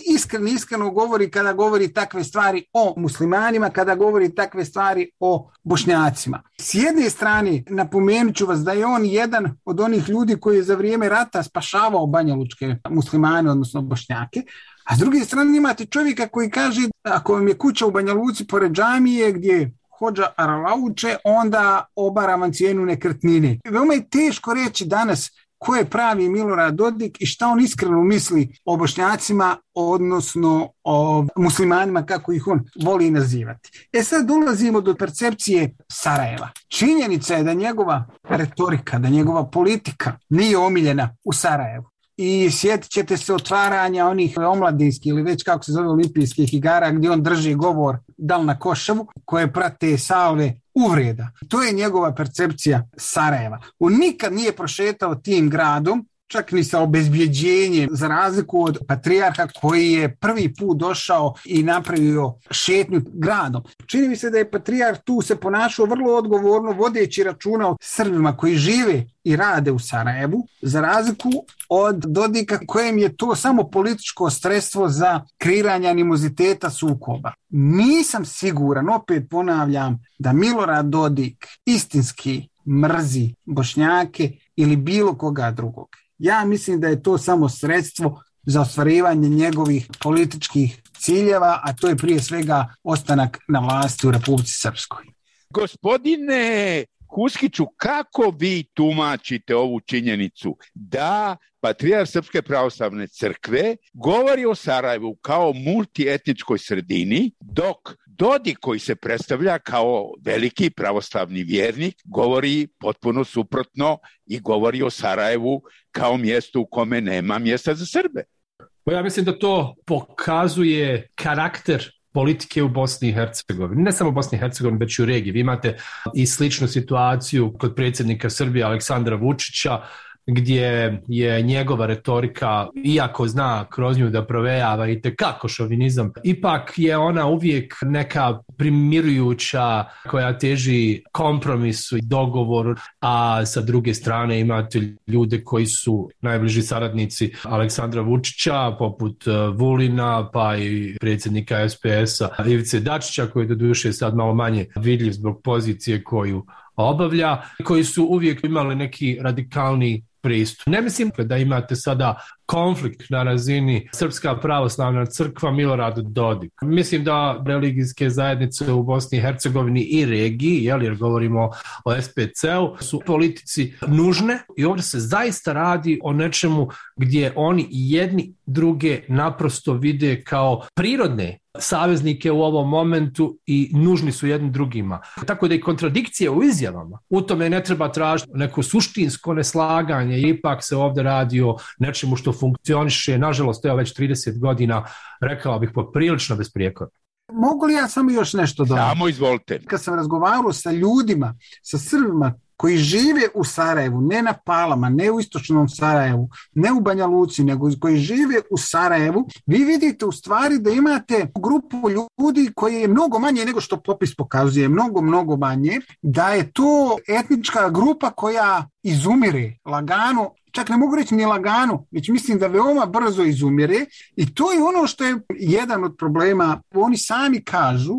iskreno govori kada govori takve stvari o muslimanima, kada govori takve stvari o Bošnjacima. S jedne strane napomenut ću vas da je on jedan od onih ljudi koji je za vrijeme rata spašavao banjalučke muslimane, odnosno Bošnjake, a s druge strane imate čovjeka koji kaže ako vam je kuća u Banja Luci pored džamije gdje hodža aralauče, onda obara vam cijenu nekretnine. Veoma je teško reći danas ko je pravi Milorad Dodik i šta on iskreno misli o Bošnjacima, odnosno o muslimanima, kako ih on voli nazivati. Sad dolazimo do percepcije Sarajeva. Činjenica je da njegova retorika, da njegova politika nije omiljena u Sarajevu. I sjetit ćete se otvaranja onih omladinskih ili već kako se zove olimpijskih igara gdje on drži govor dal na Košavu koje prate salve uvreda. To je njegova percepcija Sarajeva. On nikad nije prošetao tim gradom, čak ni sa obezbjeđenjem, za razliku od patrijarha koji je prvi put došao i napravio šetnju gradom. Čini mi se da je patrijarh tu se ponašao vrlo odgovorno, vodeći računa o Srbima koji žive i rade u Sarajevu, za razliku od Dodika kojem je to samo političko sredstvo za kreiranje animoziteta sukoba. Nisam siguran, opet ponavljam, da Milorad Dodik istinski mrzi Bošnjake ili bilo koga drugog. Ja mislim da je to samo sredstvo za ostvarivanje njegovih političkih ciljeva, a to je prije svega ostanak na vlasti u Republici Srpskoj. Gospodine Huskiću, kako vi tumačite ovu činjenicu da patrijarh Srpske pravoslavne crkve govori o Sarajevu kao multietničkoj sredini, dok Dodik, koji se predstavlja kao veliki pravoslavni vjernik, govori potpuno suprotno i govori o Sarajevu kao mjestu u kome nema mjesta za Srbe? Ja mislim da to pokazuje karakter politike u Bosni i Hercegovini. Ne samo u Bosni i Hercegovini, već i u regiji. Vi imate i sličnu situaciju kod predsjednika Srbije Aleksandra Vučića, gdje je njegova retorika, iako zna kroz nju da provejava i tekako šovinizam, ipak je ona uvijek neka primirujuća koja teži kompromisu i dogovoru, a sa druge strane imate ljude koji su najbliži saradnici Aleksandra Vučića, poput Vulina, pa i predsjednika SPS-a Ivice Dačića, koji doduše sad malo manje vidljiv zbog pozicije koju obavlja, koji su uvijek imali neki radikalni pristup. Ne mislim da imate sada konflikt na razini Srpska pravoslavna crkva Milorad Dodik. Mislim da religijske zajednice u Bosni i Hercegovini i regiji, jer govorimo o SPC-u, su politici nužne i ovdje se zaista radi o nečemu gdje oni jedni druge naprosto vide kao prirodne saveznike u ovom momentu i nužni su jednim drugima. Tako da i kontradikcije u izjavama, u tome ne treba tražiti neko suštinsko neslaganje, ipak se ovdje radi o nečemu što funkcioniše, nažalost, evo već 30 godina, rekao bih poprilično besprijekorno. Mogu li ja samo još nešto dodati? Samo izvolite. Kad sam razgovarao sa ljudima, sa Srbima koji žive u Sarajevu, ne na Palama, ne u istočnom Sarajevu, ne u Banja Luci, nego koji žive u Sarajevu, vi vidite u stvari da imate grupu ljudi koji je mnogo manje nego što popis pokazuje, mnogo manje, da je to etnička grupa koja izumire lagano, čak ne mogu reći ni lagano, već mislim da veoma brzo izumire i to je ono što je jedan od problema. Oni sami kažu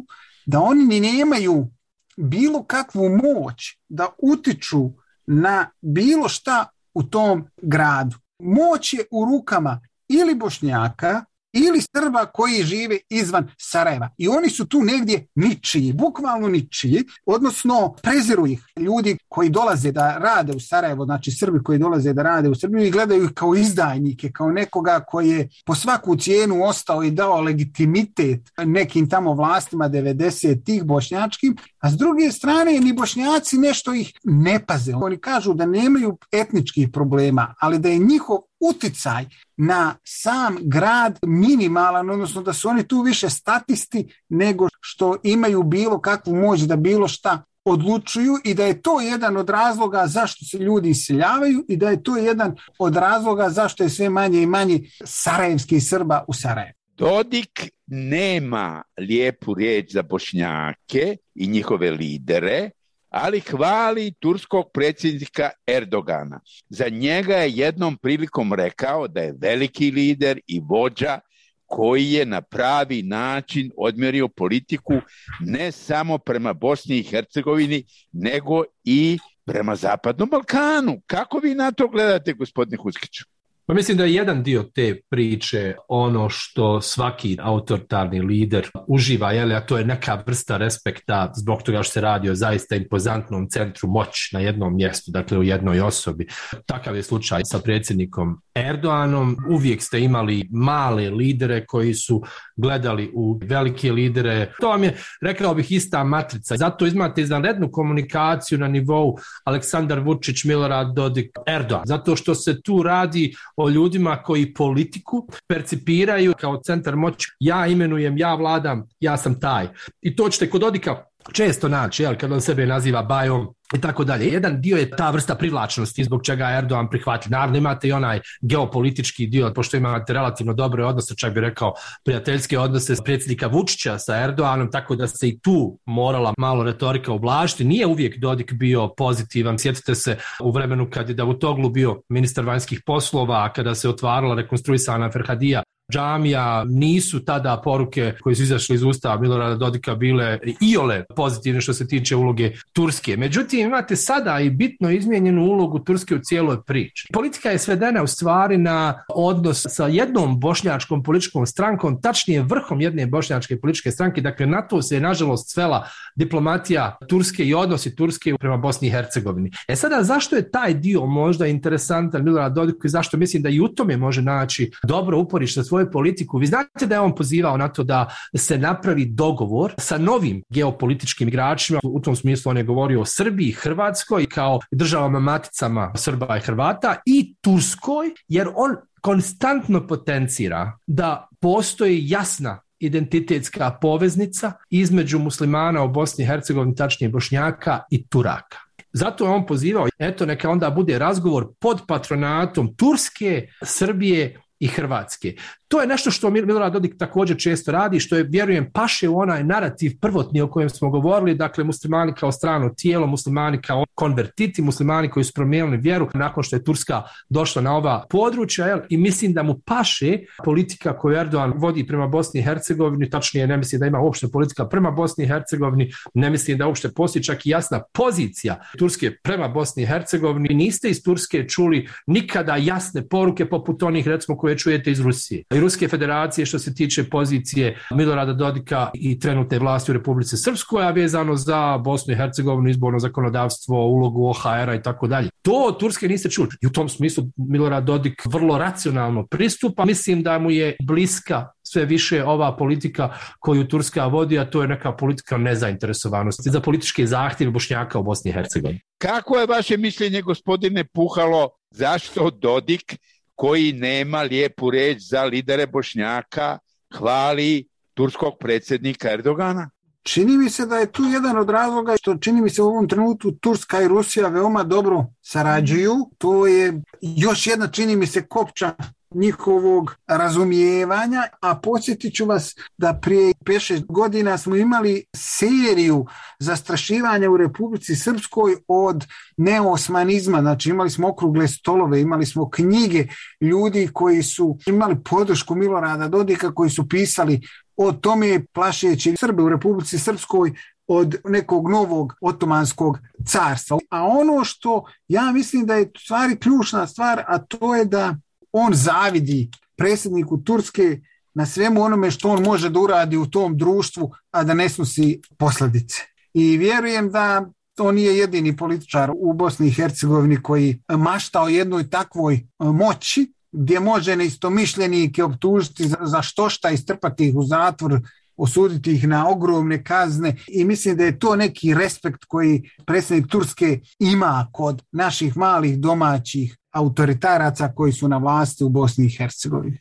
da oni ni nemaju bilo kakvu moć da utiču na bilo šta u tom gradu. Moć je u rukama ili Bošnjaka ili Srba koji žive izvan Sarajeva. I oni su tu negdje ničiji, bukvalno ničiji, odnosno preziru ih ljudi koji dolaze da rade u Sarajevo, znači Srbi koji dolaze da rade u Srbiju i gledaju ih kao izdajnike, kao nekoga koji je po svaku cijenu ostao i dao legitimitet nekim tamo vlastima 90-ih bošnjačkim, a s druge strane ni Bošnjaci nešto ih ne paze. Oni kažu da nemaju etničkih problema, ali da je njihov uticaj na sam grad minimalan, odnosno da su oni tu više statisti nego što imaju bilo kakvu moć da bilo šta odlučuju i da je to jedan od razloga zašto se ljudi iseljavaju i da je to jedan od razloga zašto je sve manje i manje sarajevskih Srba u Sarajevu. Dodik nema lijepu riječ za Bošnjake i njihove lidere, ali hvali turskog predsjednika Erdogana. Za njega je jednom prilikom rekao da je veliki lider i vođa koji je na pravi način odmjerio politiku ne samo prema Bosni i Hercegovini, nego i prema Zapadnom Balkanu. Kako vi na to gledate, gospodine Huskiću? Pa mislim da je jedan dio te priče ono što svaki autoritarni lider uživa, a to je neka vrsta respekta zbog toga što se radi o zaista impozantnom centru moći na jednom mjestu, dakle u jednoj osobi. Takav je slučaj sa predsjednikom Erdoganom. Uvijek ste imali male lidere koji su gledali u velike lidere. To vam je, rekao bih, ista matrica. Zato imate izvanrednu komunikaciju na nivou Aleksandar Vučić, Milorad Dodik, Erdogan. Zato što se tu radi o ljudima koji politiku percipiraju kao centar moći. Ja imenujem, ja vladam, ja sam taj. I to ćete kod Dodika često naći, kad on sebe naziva bajom i tako dalje. Jedan dio je ta vrsta privlačnosti zbog čega Erdogan prihvati. Naravno imate i onaj geopolitički dio, pošto imate relativno dobre odnose, čak bi rekao prijateljske odnose predsjednika Vučića sa Erdoganom, tako da se i tu morala malo retorika ublažiti. Nije uvijek Dodik bio pozitivan. Sjetite se u vremenu kad je Davutoglu bio ministar vanjskih poslova, kada se otvarala rekonstruisana Ferhadija džamija, nisu tada poruke koje su izašle iz usta Milorada Dodika bile iole pozitivne što se tiče uloge Turske. Međutim, imate sada i bitno izmijenjenu ulogu Turske u cijeloj priči. Politika je svedena u stvari na odnos sa jednom bošnjačkom političkom strankom, tačnije vrhom jedne bošnjačke političke stranke. Dakle, na to se je nažalost svela diplomatija Turske i odnosi Turske prema Bosni i Hercegovini. Sada, zašto je taj dio možda interesantan Milorad Dodiku i zašto mislim da i u tome može naći dobro uporište svoju politiku? Vi znate da je on pozivao na to da se napravi dogovor sa novim geopolitičkim igračima. U tom smislu on je govorio o Srbiji, Hrvatskoj kao državama maticama Srba i Hrvata i Turskoj, jer on konstantno potencira da postoji jasna identitetska poveznica između muslimana u Bosni i Hercegovini, tačnije Bošnjaka i Turaka. Zato je on pozivao, eto neka onda bude razgovor pod patronatom Turske, Srbije i Hrvatske. To je nešto što Milorad Dodik također često radi, što je, vjerujem, paše u onaj narativ prvotni o kojem smo govorili, dakle muslimani kao strano tijelo, muslimani kao konvertiti, muslimani koji su promijenili vjeru nakon što je Turska došla na ova područja, i mislim da mu paše politika koju Erdogan vodi prema Bosni i Hercegovini, tačnije ne mislim da ima uopšte politika prema Bosni i Hercegovini, ne mislim da uopšte postoji čak i jasna pozicija Turske prema Bosni i Hercegovini. Niste iz Turske čuli nikada jasne poruke poput onih, recimo, koje čujete iz Rusije i Ruske federacije što se tiče pozicije Milorada Dodika i trenutne vlasti u Republici Srpskoj, a vezano za Bosnu i Hercegovinu, izborno zakonodavstvo, ulogu OHR-a i tako dalje. To od Turske niste čuli. I u tom smislu Milorad Dodik vrlo racionalno pristupa. Mislim da mu je bliska sve više ova politika koju Turska vodi, a to je neka politika nezainteresovanosti za političke zahtjeve Bošnjaka u Bosni i Hercegovini. Kako je vaše mišljenje, gospodine Puhalo, zašto Dodik, koji nema lijepu riječ za lidere Bošnjaka, hvali turskog predsjednika Erdogana? Čini mi se da je tu jedan od razloga što čini mi se u ovom trenutku Turska i Rusija veoma dobro sarađuju. To je još jedna, čini mi se, kopča njihovog razumijevanja, a podsjetit ću vas da prije 5-6 godina smo imali seriju zastrašivanja u Republici Srpskoj od neosmanizma, znači imali smo okrugle stolove, imali smo knjige ljudi koji su imali podršku Milorada Dodika, koji su pisali o tome plašeći Srbe u Republici Srpskoj od nekog novog otomanskog carstva. A ono što ja mislim da je stvari ključna stvar, a to je da on zavidi predsjedniku Turske na svemu onome što on može da uradi u tom društvu, a da ne snosi posljedice. I vjerujem da to nije jedini političar u Bosni i Hercegovini koji mašta o jednoj takvoj moći, gdje može neistomišljenike optužiti za štošta i strpati ih u zatvor, osuditi ih na ogromne kazne, i mislim da je to neki respekt koji predsjednik Turske ima kod naših malih domaćih autoritaraca koji su na vlasti u Bosni i Hercegovini.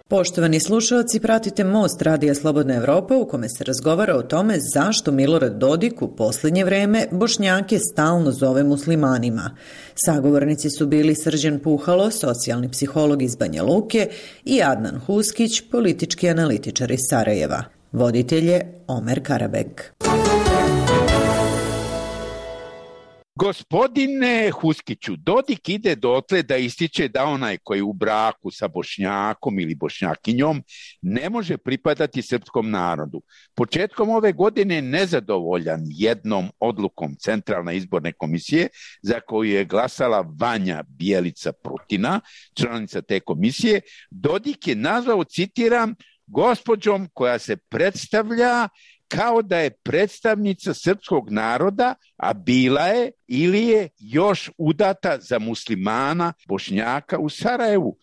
Poštovani slušalci, pratite Most Radija Slobodna Evropa u kome se razgovara o tome zašto Milorad Dodik u posljednje vreme Bošnjake stalno zove muslimanima. Sagovornici su bili Srđan Puhalo, socijalni psiholog iz Banja Luke, i Adnan Huskić, politički analitičar iz Sarajeva. Voditelj je Omer Karabeg. Gospodine Huskiću, Dodik ide dotle da ističe da onaj koji je u braku sa Bošnjakom ili Bošnjakinjom ne može pripadati srpskom narodu. Početkom ove godine nezadovoljan jednom odlukom Centralne izborne komisije za koju je glasala Vanja Bjelica Prutina, članica te komisije, Dodik je nazvao, citiram, gospođom koja se predstavlja kao da je predstavnica srpskog naroda, a bila je ili je još udata za muslimana Bošnjaka u Sarajevu.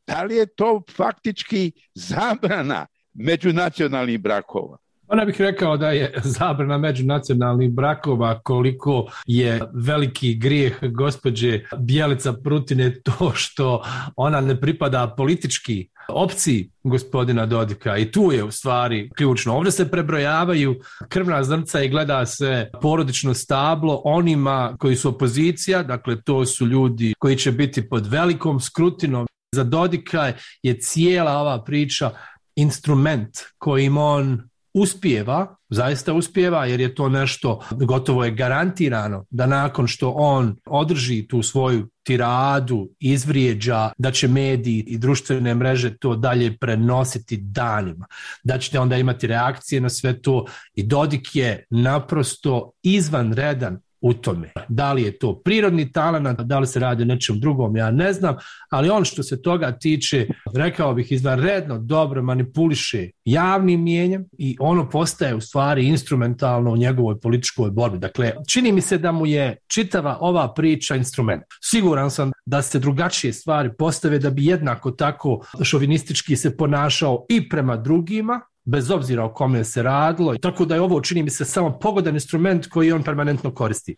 Da li je to faktički zabrana međunacionalnih brakova? Ona bih rekao da je zabrana međunacionalnih brakova, koliko je veliki grijeh gospođe Bjelica Prutine to što ona ne pripada politički opciji gospodina Dodika, i tu je u stvari ključno. Ovdje se prebrojavaju krvna zrnca i gleda se porodično stablo onima koji su opozicija, dakle to su ljudi koji će biti pod velikom skrutinom. Za Dodika je cijela ova priča instrument kojim on uspijeva, zaista uspijeva, jer je to nešto, gotovo je garantirano da nakon što on održi tu svoju tiradu, izvrijeđa, da će mediji i društvene mreže to dalje prenositi danima, da ćete onda imati reakcije na sve to, i Dodik je naprosto izvanredan u tome. Da li je to prirodni talenat, da li se radi o nečem drugom, ja ne znam, ali on što se toga tiče, rekao bih, izvanredno dobro manipuliše javnim mijenjem i ono postaje u stvari instrumentalno u njegovoj političkoj borbi. Dakle, čini mi se da mu je čitava ova priča instrument. Siguran sam da se drugačije stvari postave, da bi jednako tako šovinistički se ponašao i prema drugima, bez obzira o kome se radilo. Tako da je ovo, čini mi se, samo pogodan instrument koji on permanentno koristi.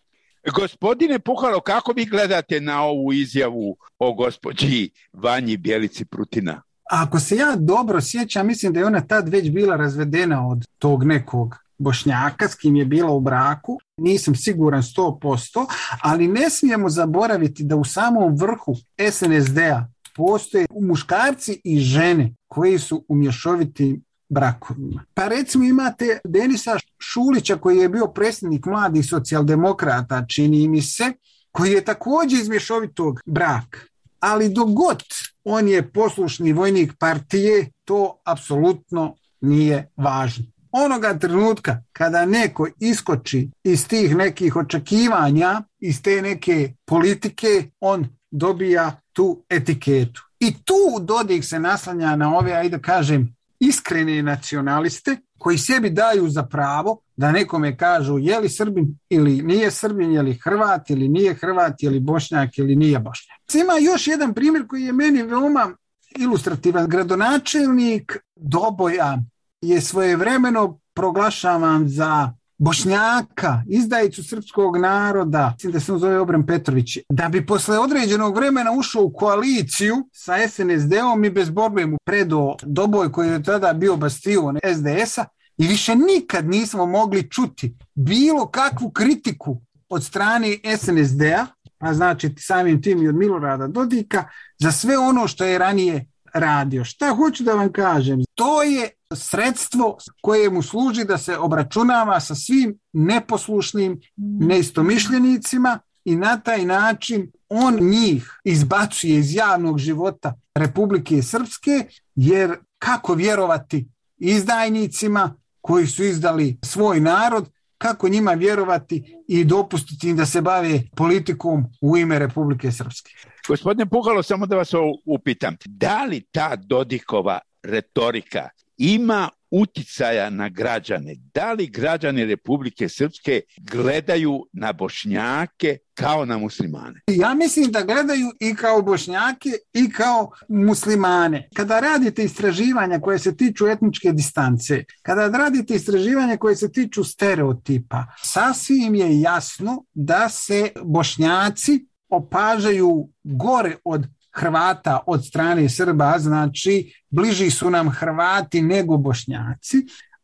Gospodine Puhalo, kako vi gledate na ovu izjavu o gospođi Vanji Bjelici Prutina? Ako se ja dobro sjećam, mislim da je ona tad već bila razvedena od tog nekog Bošnjaka s kim je bila u braku. Nisam siguran 100%, ali ne smijemo zaboraviti da u samom vrhu SNSD-a postoje muškarci i žene koji su u mješovitim brakovima. Pa recimo imate Denisa Šulića koji je bio predsjednik mladih socijaldemokrata, čini mi se, koji je također iz mješovitog braka. Ali dok god on je poslušni vojnik partije, to apsolutno nije važno. Onoga trenutka kada neko iskoči iz tih nekih očekivanja, iz te neke politike, on dobija tu etiketu. I tu Dodik se naslanja na ove, ajde kažem, iskrene nacionaliste koji sebi daju za pravo da nekome kažu je li Srbin ili nije Srbin, je li Hrvat ili nije Hrvat, je li Bošnjak ili nije Bošnjak. Ima još jedan primjer koji je meni veoma ilustrativan. Gradonačelnik Doboja je svojevremeno proglašavan za Bošnjaka, izdajicu srpskog naroda, mislim da se on zove Obren Petrović, da bi posle određenog vremena ušao u koaliciju sa SNSD-om i bez borbe mu predao Doboj koji je tada bio bastion SDS-a, i više nikad nismo mogli čuti bilo kakvu kritiku od strane SNSD-a, a znači samim tim i od Milorada Dodika, za sve ono što je ranije radio. Šta hoću da vam kažem? To je sredstvo koje mu služi da se obračunava sa svim neposlušnim neistomišljenicima i na taj način on njih izbacuje iz javnog života Republike Srpske, jer kako vjerovati izdajnicima koji su izdali svoj narod, kako njima vjerovati i dopustiti im da se bave politikom u ime Republike Srpske. Gospodine Puhalo, samo da vas upitam, da li ta Dodikova retorika ima uticaja na građane? Da li građani Republike Srpske gledaju na Bošnjake kao na muslimane? Ja mislim da gledaju i kao Bošnjake i kao muslimane. Kada radite istraživanja koje se tiču etničke distance, kada radite istraživanja koje se tiču stereotipa, sasvim je jasno da se Bošnjaci opažaju gore od Hrvata od strane Srba, znači bliži su nam Hrvati nego Bošnjaci.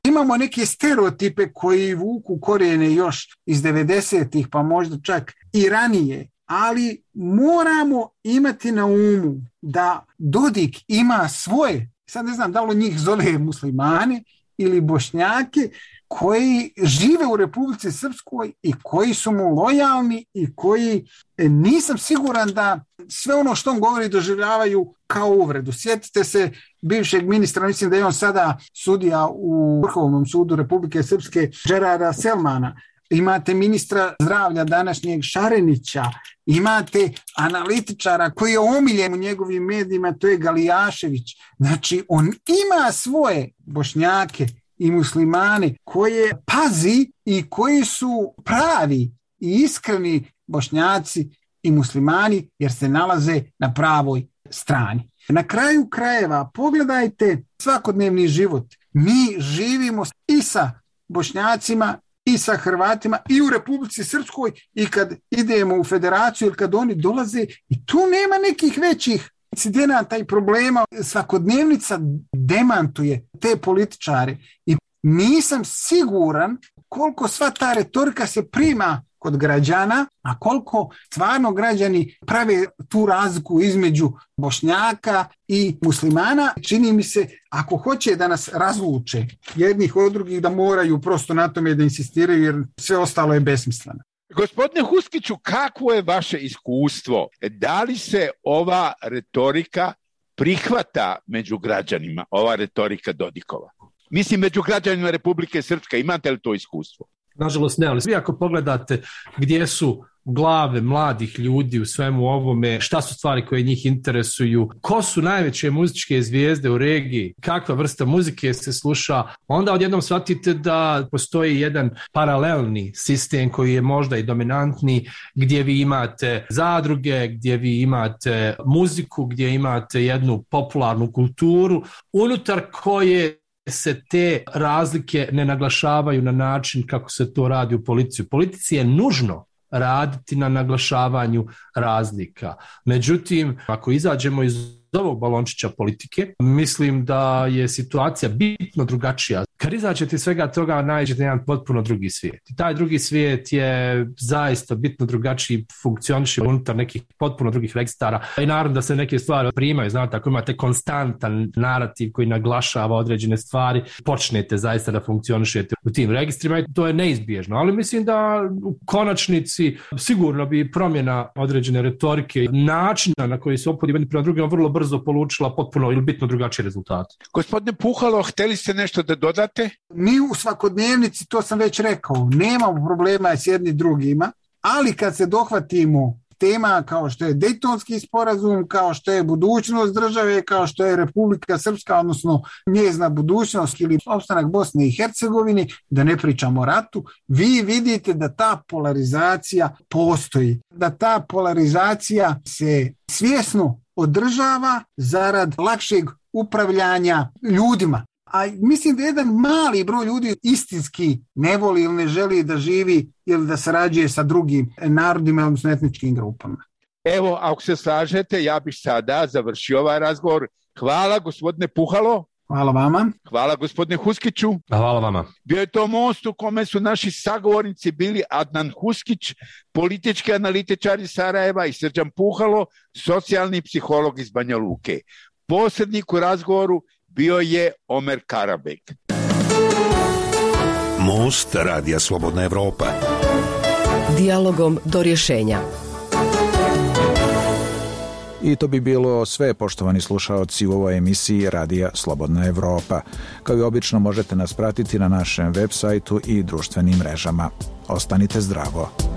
Imamo neke stereotipe koji vuku korijene još iz 90-ih, pa možda čak i ranije, ali moramo imati na umu da Dodik ima svoje, sad ne znam da li njih zove muslimane ili Bošnjake, koji žive u Republici Srpskoj i koji su mu lojalni i koji nisam siguran da sve ono što on govori doživljavaju kao uvredu. Sjetite se bivšeg ministra, mislim da je on sada sudija u Vrhovnom sudu Republike Srpske, Džerara Selmana. Imate ministra zdravlja današnjeg Šarenića, imate analitičara koji je omiljen u njegovim medijima, to je Galijašević. Znači, on ima svoje Bošnjake i muslimane koje pazi i koji su pravi i iskreni Bošnjaci i muslimani jer se nalaze na pravoj strani. Na kraju krajeva pogledajte svakodnevni život. Mi živimo i sa Bošnjacima i sa Hrvatima i u Republici Srpskoj i kad idemo u federaciju ili kad oni dolaze i tu nema nekih većih incidenata i problema. Svakodnevnica demantuje te političare i nisam siguran koliko sva ta retorika se prima kod građana, a koliko stvarno građani prave tu razliku između Bošnjaka i muslimana. Čini mi se, ako hoće da nas razluče jednih od drugih, da moraju prosto na tome da insistiraju jer sve ostalo je besmisleno. Gospodine Huskiću, kakvo je vaše iskustvo? Da li se ova retorika prihvata među građanima, ova retorika Dodikova? Mislim, među građanima Republike Srpske, imate li to iskustvo? Nažalost ne, ali svi ako pogledate gdje su glave mladih ljudi u svemu ovome, šta su stvari koje njih interesuju, ko su najveće muzičke zvijezde u regiji, kakva vrsta muzike se sluša, onda odjednom shvatite da postoji jedan paralelni sistem koji je možda i dominantni, gdje vi imate zadruge, gdje vi imate muziku, gdje imate jednu popularnu kulturu, unutar koje se te razlike ne naglašavaju na način kako se to radi u policiji. U policiji je nužno raditi na naglašavanju razlika. Međutim, ako izađemo iz ovog balončića politike, mislim da je situacija bitno drugačija. Kad izađete iz svega toga, nađete jedan potpuno drugi svijet. I taj drugi svijet je zaista bitno drugačiji, funkcioniše unutar nekih potpuno drugih registara. I naravno da se neke stvari primaju, znate, ako imate konstantan narativ koji naglašava određene stvari, počnete zaista da funkcionišete u tim registrima i to je neizbježno. Ali mislim da u konačnici sigurno bi promjena određene retorike, načina na koji se ophodi jedni prema drugima vrlo brzo polučila potpuno ili bitno drugačiji rezultat. Gospodine Puhalo, htjeli ste nešto da dodate? Mi u svakodnevnici, to sam već rekao, nemamo problema s jedni drugima, ali kad se dohvatimo tema kao što je Dejtonski sporazum, kao što je budućnost države, kao što je Republika Srpska, odnosno njezina budućnost ili opstanak Bosne i Hercegovine, da ne pričamo o ratu, vi vidite da ta polarizacija postoji, da ta polarizacija se svjesno održava zarad lakšeg upravljanja ljudima. A mislim da jedan mali broj ljudi istinski ne voli ili ne želi da živi ili da sarađuje sa drugim narodima, odnosno etničkim grupama. Evo, ako se slažete, ja bih sada završio ovaj razgovor. Hvala, gospodine Puhalo. Hvala vama. Hvala, gospodine Huskiću. Hvala vama. Bio je to most u kome su naši sagovornici bili Adnan Huskić, politički analitičar iz Sarajeva, i Srđan Puhalo, socijalni psiholog iz Banja Luke. Posrednik u razgovoru bio je Omer Karabek. Most Radija Slobodna Evropa. Dijalogom do rješenja. I to bi bilo sve, poštovani slušaoci, u ovoj emisiji Radija Slobodna Evropa. Kao i obično možete nas pratiti na našem web sajtu i društvenim mrežama. Ostanite zdravo.